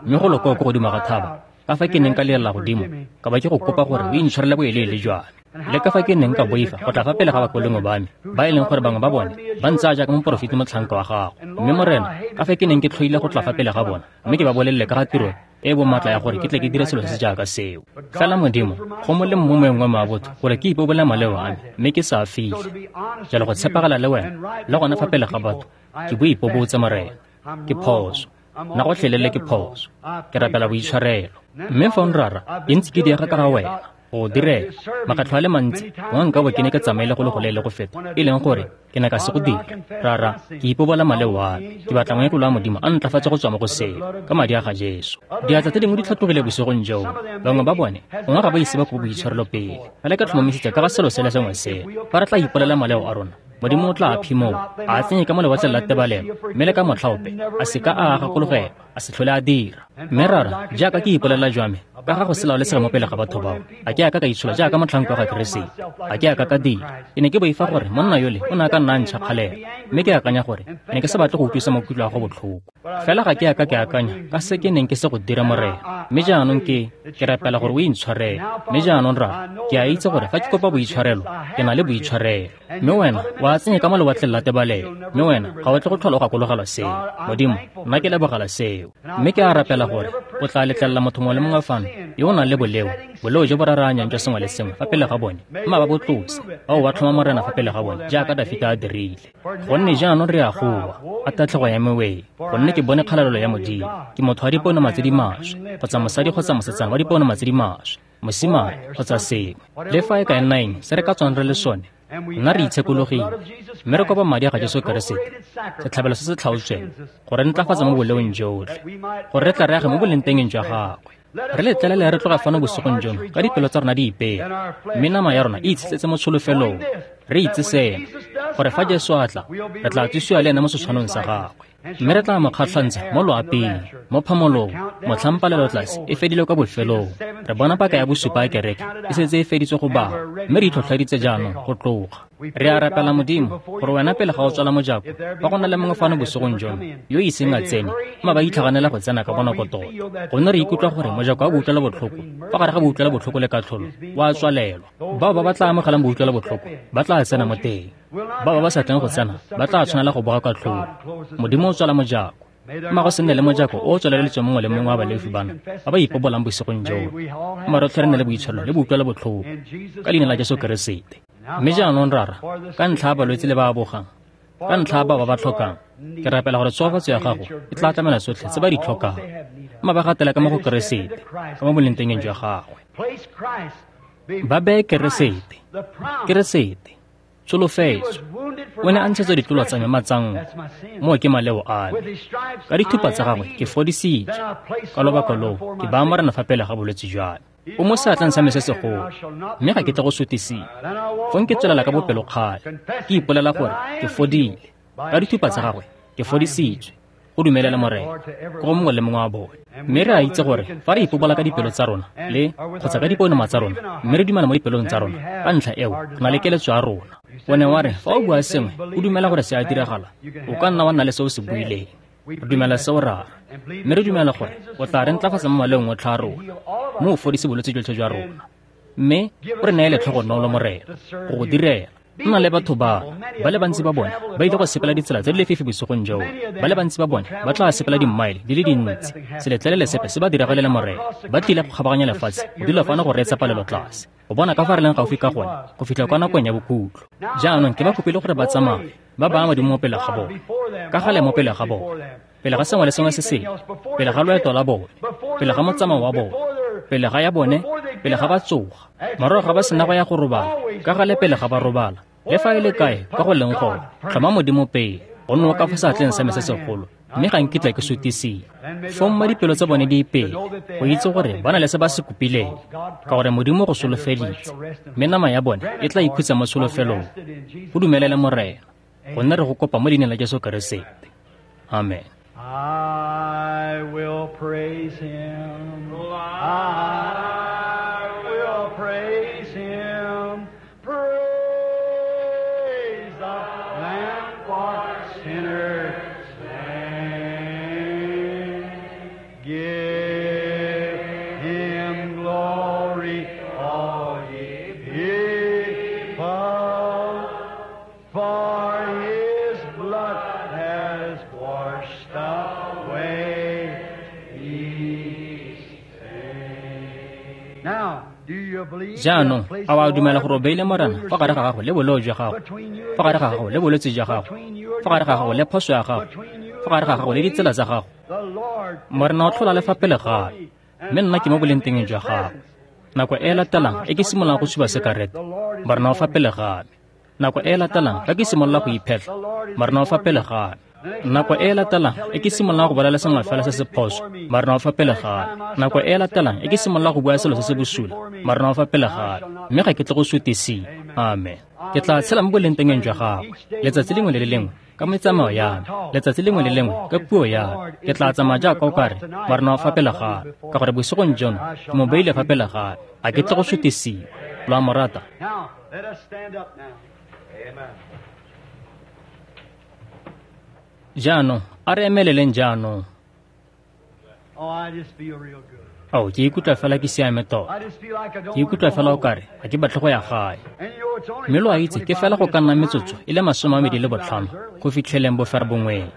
Mme go lokoa ko godimo ga thaba, ka fa ke neng ka lelela godimo, ka ba ke go kopa gore o intshwarele boeleele jwa me. Le ka fa ke neng ka boifa go tla fa pele ga bakolengwe ba me, ba e leng gore bangwe ba bone ba ntsaya jaaka moporofeti motlhanka wa gago. Mme Morena, ka fa ke neng ke tlhoile go tla fa pele ga bona, mme ke ba bolelele ka ga tiro e bomatla ya gore ke tle ke dire selo se se jaaka seo. Fela Modimo, go molemo mo moeng wa me wa botho gore ke ipobole maleo a me, mme ke sa a fitlhe. Jalo go tshepagala le wena, le gona fa pele ga batho, ke bo ipobotse Morena. Ke phoso. Nna gotlhelele ke phoso. Ke rapela boitshwarelo. Mme fa Rara, ke ntse ke diega ka ga wena go direla makgetlho a le mantsi, gongwe nka bo ke ne ke tsamaile go le go leele go feta, e leng gore ke ne ka se go dira. Rara, ke ipobola maleo a me. Ke batla moengele wa Modimo a ntlafatse go tswa mo go seo, ka madi a ga Jesu. Diatla tse dingwe di tlhatlogile bosigong joo. Bangwe ba bone gongwe ga ba ise ba kope boitshwarelo pele. Fela ke tlhomamisitse ka ga selo se le sengwe seo, fa re tla ipolela maleo a rona, Modimo o tla a phimola, a a tsenye ka mo lewatleng la tebalelo, mme le ka motlha ope a se ka a gakologelwa, a se tlhole a dira. Mme Rara, jaaka ke ipolela jwa me ka ga go se laolesega mo pele ga batho bao, a ke a ka ka itshola jaaka motlhanka wa ga Keresete, a ke a ka ka dira. Ke ne ke boifa gore monna yole o ne a ka nna a ntšha kgalelo, mme ke akanya gore ke ne ke sa batle go utlwisa maikutlo a go botlhoko. Fela ga ke a ka ke akanya ka se ke neng ke se go dira Morena. Mme jaanong ke rapela gore o intshwarele. Mme jaanong Rara, ke a itse gore fa ke kopa boitshwarelo, ke na le boitshwarelo. Mme wena wa tsenye ka mo lewatleng la tebalelo, mme wena ga o tle go tlhola o gakologelwa seo. Modimo, nna ke lebogela seo. Mme ke a rapela gore o tla letlelela motho mongwe le mongwe fano yo o nang le boleo, boleo jo bo raraanyang jwa sengwe le sengwe fa pele ga bone, mma ba bo tlose, ba bo ba tlhoma Morena fa pele ga bone jaaka Dafita a dirile. Gonne jaanong re a goa, a tatlhego ya meweng, gonne ke bone kgalalelo ya Modimo. Ke motho wa diponoma tse di maswe, kgotsa mosadi kgotsa mosetsana wa diponoma tse di maswe, mosimane kgotsa sengwe. Le fa e ka nna eng se re ka tswang re le sone, nna re itshekologile, mme re kopa madi a ga Jesu Keresete, setlhabelo se se tlhaotsweng, gore re ntlafatsa mo boleong jotlhe, gore re tla re age mo bolengtengeng jwa gagwe. Re letlelele re tloga fano bosigong jono ka dipelo tsa rona di ipela, mme nama ya rona e itshetletse mo tsholofelong. Re itse seno, gore fa Jesu a tla, re tla tsosiwa le ene mo setshwanong sa gagwe, mme re tla mo kgatlhantsha mo loaping, mo phamolong, motlhampalelo tlase e fedile kwa bofelong. Re bona paka ya bosupa ya kereke e setse e feditswe go bala, mme re itlhotlheditse jaanong go tloga. Re a rapela Modimo gore wena pele ga o tswala mojako, fa go na le mongwe fano bosigong jono yo iseng a tsene, mma ba itlhaganela go tsena ka bonako tota, gonne re ikutlwa gore mojako wa boutlwela botlhoko fa gare ga boutlwela botlhoko le katlholo wa tswalelwa. Bao ba ba tla amogelang boutlwela botlhoko ba tla tsena mo teng, bao ba ba sa tleng go tsena ba tla tshwanela go boga katlholo. Modimo o tswala mojako, mma go se nne le mojako o o tswaleletsweng mongwe le mongwe wa baleofi bano ba ba ipobolang bosigong jono. Mma rotlhe re nne le boitshwarelo le boutlwela botlhoko ka leina la Jesu Keresete. Mme jaanong Rara, ka ntlha ya balwetse le ba ba bogang, ka ntlha ya bao ba ba tlhokang, ke rapela gore tshofatso ya gago e tla tlamela tsotlhe tse ba di tlhokang. Mma ba gatela ka mo go Keresete, ka mo bolengtengeng jwa gagwe. Ba beye Keresete, Keresete, tsholofetso. O ne a ntshetswa ditlolo tsa me matsanko, moo ke maleo a me. Ka dithupa tsa gagwe ke fodisitswe. Ka lobaka loo ke baya Morena fa pele ga bolwetse jwa me. O mo seatleng sa me se segolo, mme ga ke tle go sutisiwa. Fong ke tswelela ka bopelokgale, ke ipolela gore ke fodile. Ka dithupa tsa gagwe ke fodisitswe. Go dumelele Morena ko go mongwe le mongwe wa bone. Mme re a itse gore fa re ipobola ka dipelo tsa rona le kgotsa ka diponoma tsa rona, mme re dumela mo dipelong tsa rona, ka ntlha eo re na le keletso ya rona. O ne wa re fa o bua sengwe o dumela gore se a diragala, o ka nna wa nna le se o se buileng. Re dumela seo Rara, mme re dumela gore o tla re ntlafatsa mo maleong otlhe a rona, mme o fodise bolwetse jotlhe jwa rona, mme o re neye letlhogonolo Morena go go direla. Nna le batho ba le bantsi ba bone ba ile go sepela ditsela tse di lefifi bosigong joo. Ba le bantsi ba bone ba tla sepela dimmaele di le dintsi. Se letlelele sepe se ba diragalele Morena. Ba tlile go kgabaganya lefatshe go dula fano go reetsa palelo tlase, go bona ka fa re leng gaufi ka gone go fitlha kwa nakong ya bokhutlo. Jaanong ke ba kopile gore ba tsamaye, ba baya Modimo mo pele ga bone, ka gale mo pele ga bone, pele ga sengwe le sengwe se sengwe, pele ga loeto la bone, pele ga motsamao wa bone, pele ga ya bone, pele ga ba tsoga, morago ga ba sena go ya go robala, ka gale pele ga ba robala, le fa e le kae ka go leng gone, tlhoma Modimo pele, gonne o ka fa seatleng sa me se segolo, mme ga nkitla ke sutisiwa. Fong mma dipelo tsa bone di ipele, go itse gore ba na le se ba se kopileng, ka gore Modimo go solofeditse, mme nama ya bone e tla ikhutsa mo tsholofelong. Go dumelele Morena, gonne re go kopa mo leineng la Jesu Keresete. Amen. I will praise him. I will praise him. Praise the Lamb for sinners slain. Give him glory, all ye people, for his blood has washed away his sin. Now, do you believe? Jaanong, a wa dumela gore o beile Morena fa gare ga gago le boleo jwa gago, fa gare ga gago le bolwetse jwa gago, fa gare ga gago le phoso ya gago, fa gare ga gago le ditsela tsa gago? Morena o tlhola le fa pele ga me, mme nna ke mo bolengtengeng jwa gago. Nako e e latelang e ke simololang go tshuba sekarete, Morena o fa pele ga me. Nako e e latelang fa ke simolola go iphetlha, Morena o fa pele ga me. Nako e e latelang e ke simololang go bolela sengwe fela se se phoso, Morena o fa pele ga me. Nako e e latelang e ke simololang go bua selo se se bosula, Morena o fa pele ga me, mme ga ke tle go sutisiwa. Amen. Ke tla tshela mo bolengtengeng jwa gagwe letsatsi lengwe le le lengwe ka metsamao ya me, letsatsi lengwe le lengwe ka puo ya me. Ke tla tsamaya jaaka o kare Morena o fa pele ga me, ka gore bosigong jono ke mo beile fa pele ga me. Ga ke tle go sutisiwa. Lo a mo rata? Now, let us stand up now. Amen. Jaanong, a re emeleleng jaanong. Oh, I just feel real good. Ao, ke ikutlwa fela ke siame tota. I just feel like I don't Ke ikutlwa want to go fela o home. kare ga ke batle go ya gae. And you know, it's only Mme lo a itse ke fela go ka nna metsotso e le 25 go fitlheleng boferabongweng.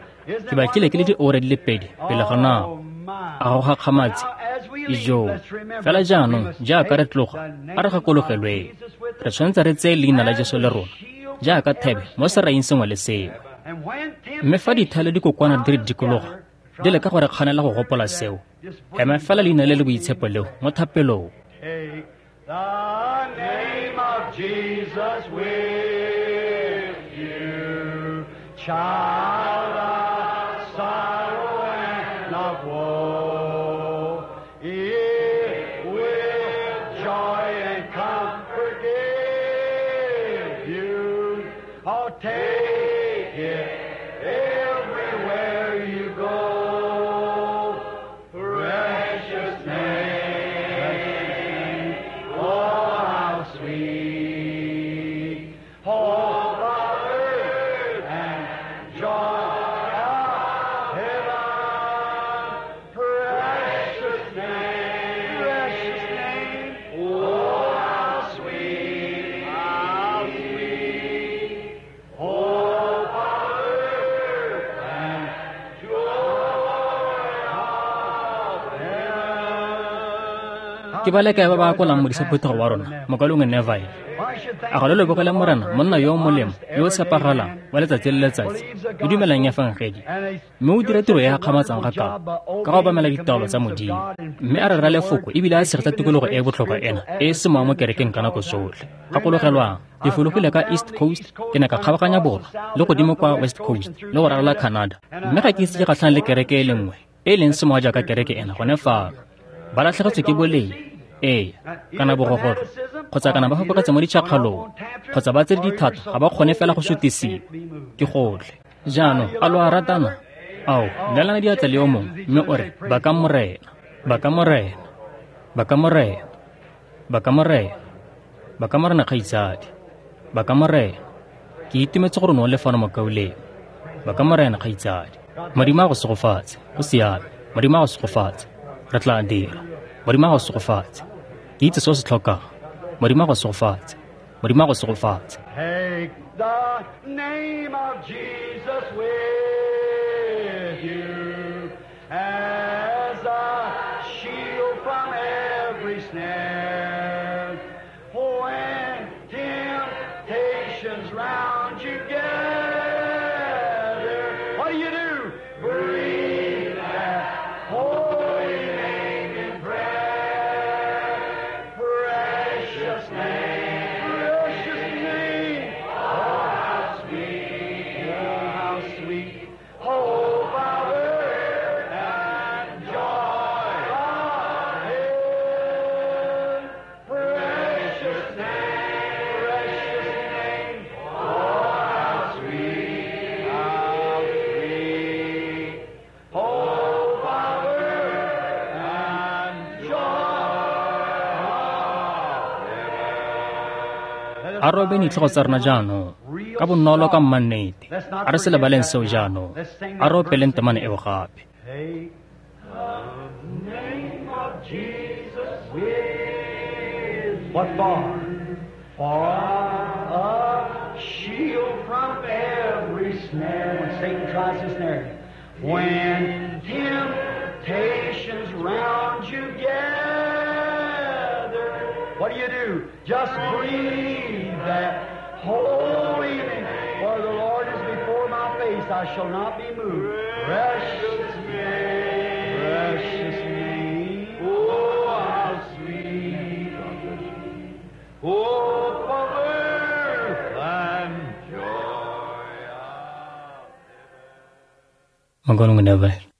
Ke batlile ke le diura di le pedi pele ga nako. Oh, my. A go gakgamatse? Now, as we leave, Ijoo. let's remember Fela we jaanong, must jaaka re take tloga, the a re name of gakologelweng. Jesus with Re us tshwanetse re tseye leina la Jesu le rona, jaaka thebe mo seraing sengwe le sengwe. And when Mme fa dithale di kokwana di re temptations dikologa, di leka go re kganela go gopola seo, ema fela leina le le boitshepo leo mo thapelong. Take the name of Jesus with you, child of sorrow and of woe. It will joy and comfort give you. Oh, take it everywhere you go. Precious name, oh, how sweet. Hope of earth and joy of heaven. Precious name, oh, how sweet, how sweet. Hope of earth and joy of heaven. Ke ba le kae ba ba akolang modisa phuthego wa rona, mokaulengwe Neville? A ga lo lebogele Morena, monna yo o molemo, yo o tshepagalang, wa letsatsi le letsatsi, yo dumelang efangedi, mme o dira tiro e e gakgamatsang ga kalo, ka go obamela ditaolo tsa Modimo, mme a rera lefoko ebile a tshegetsa tikologo e e botlhokwa ena e e semowa mo kerekeng ka nako tsotlhe. Gakologelwang, ke fologile ka East Coast, ke ne ka kgabaganya borwa le godimo kwa West Coast le go ralala Canada, mme ga ke ise ke gatlhane le kereke e le nngwe e e leng semowa jaaka kereke ena gone fano. Ba latlhegetswe ke boleng, ee, kana bogogotlo, kgotsa kana ba fapogetse mo ditšhakgalong, kgotsa ba tsere dithata ga ba kgone fela go sutisiwa. Ke gotlhe. Jaanong, a lo a ratana? Ao, neelana diatla le yo mongwe, mme o re, baka Morena, baka Morena, baka Morena, baka Morena, baka Morena kgaitsadi, baka Morena. Ke itumetse gore o ne o le fano mokaulengwe. Baka Morena kgaitsadi. Modimo a go segofatse, go siame. Modimo a go segofatse. Re tla dira. Modimo a go segofatse. Ke itse se o se tlhokang. Modimo a go segofatse. Modimo a go segofatse. Take the name of Jesus with you as a shield from every snare. When temptations round you gather, what do you do? Breathe that holy name in prayer. Precious name, precious name. Oh, how sweet, oh, how sweet. Hope of earth. A robe ditlhogo tsa rona jaanong ka bonolo ka mmannete. A re se lebaleng seo jaanong. A re opeleng temana eo gape. Take the name of Jesus with what for? For a shield from every snare. When Satan tries to snare you. When temptations round you gather, what do you do? Just breathe that holy name. For the Lord is before my face, I shall not be moved. Precious name, precious name, oh how sweet, oh comfort and joy. Mokaulengwe Neville.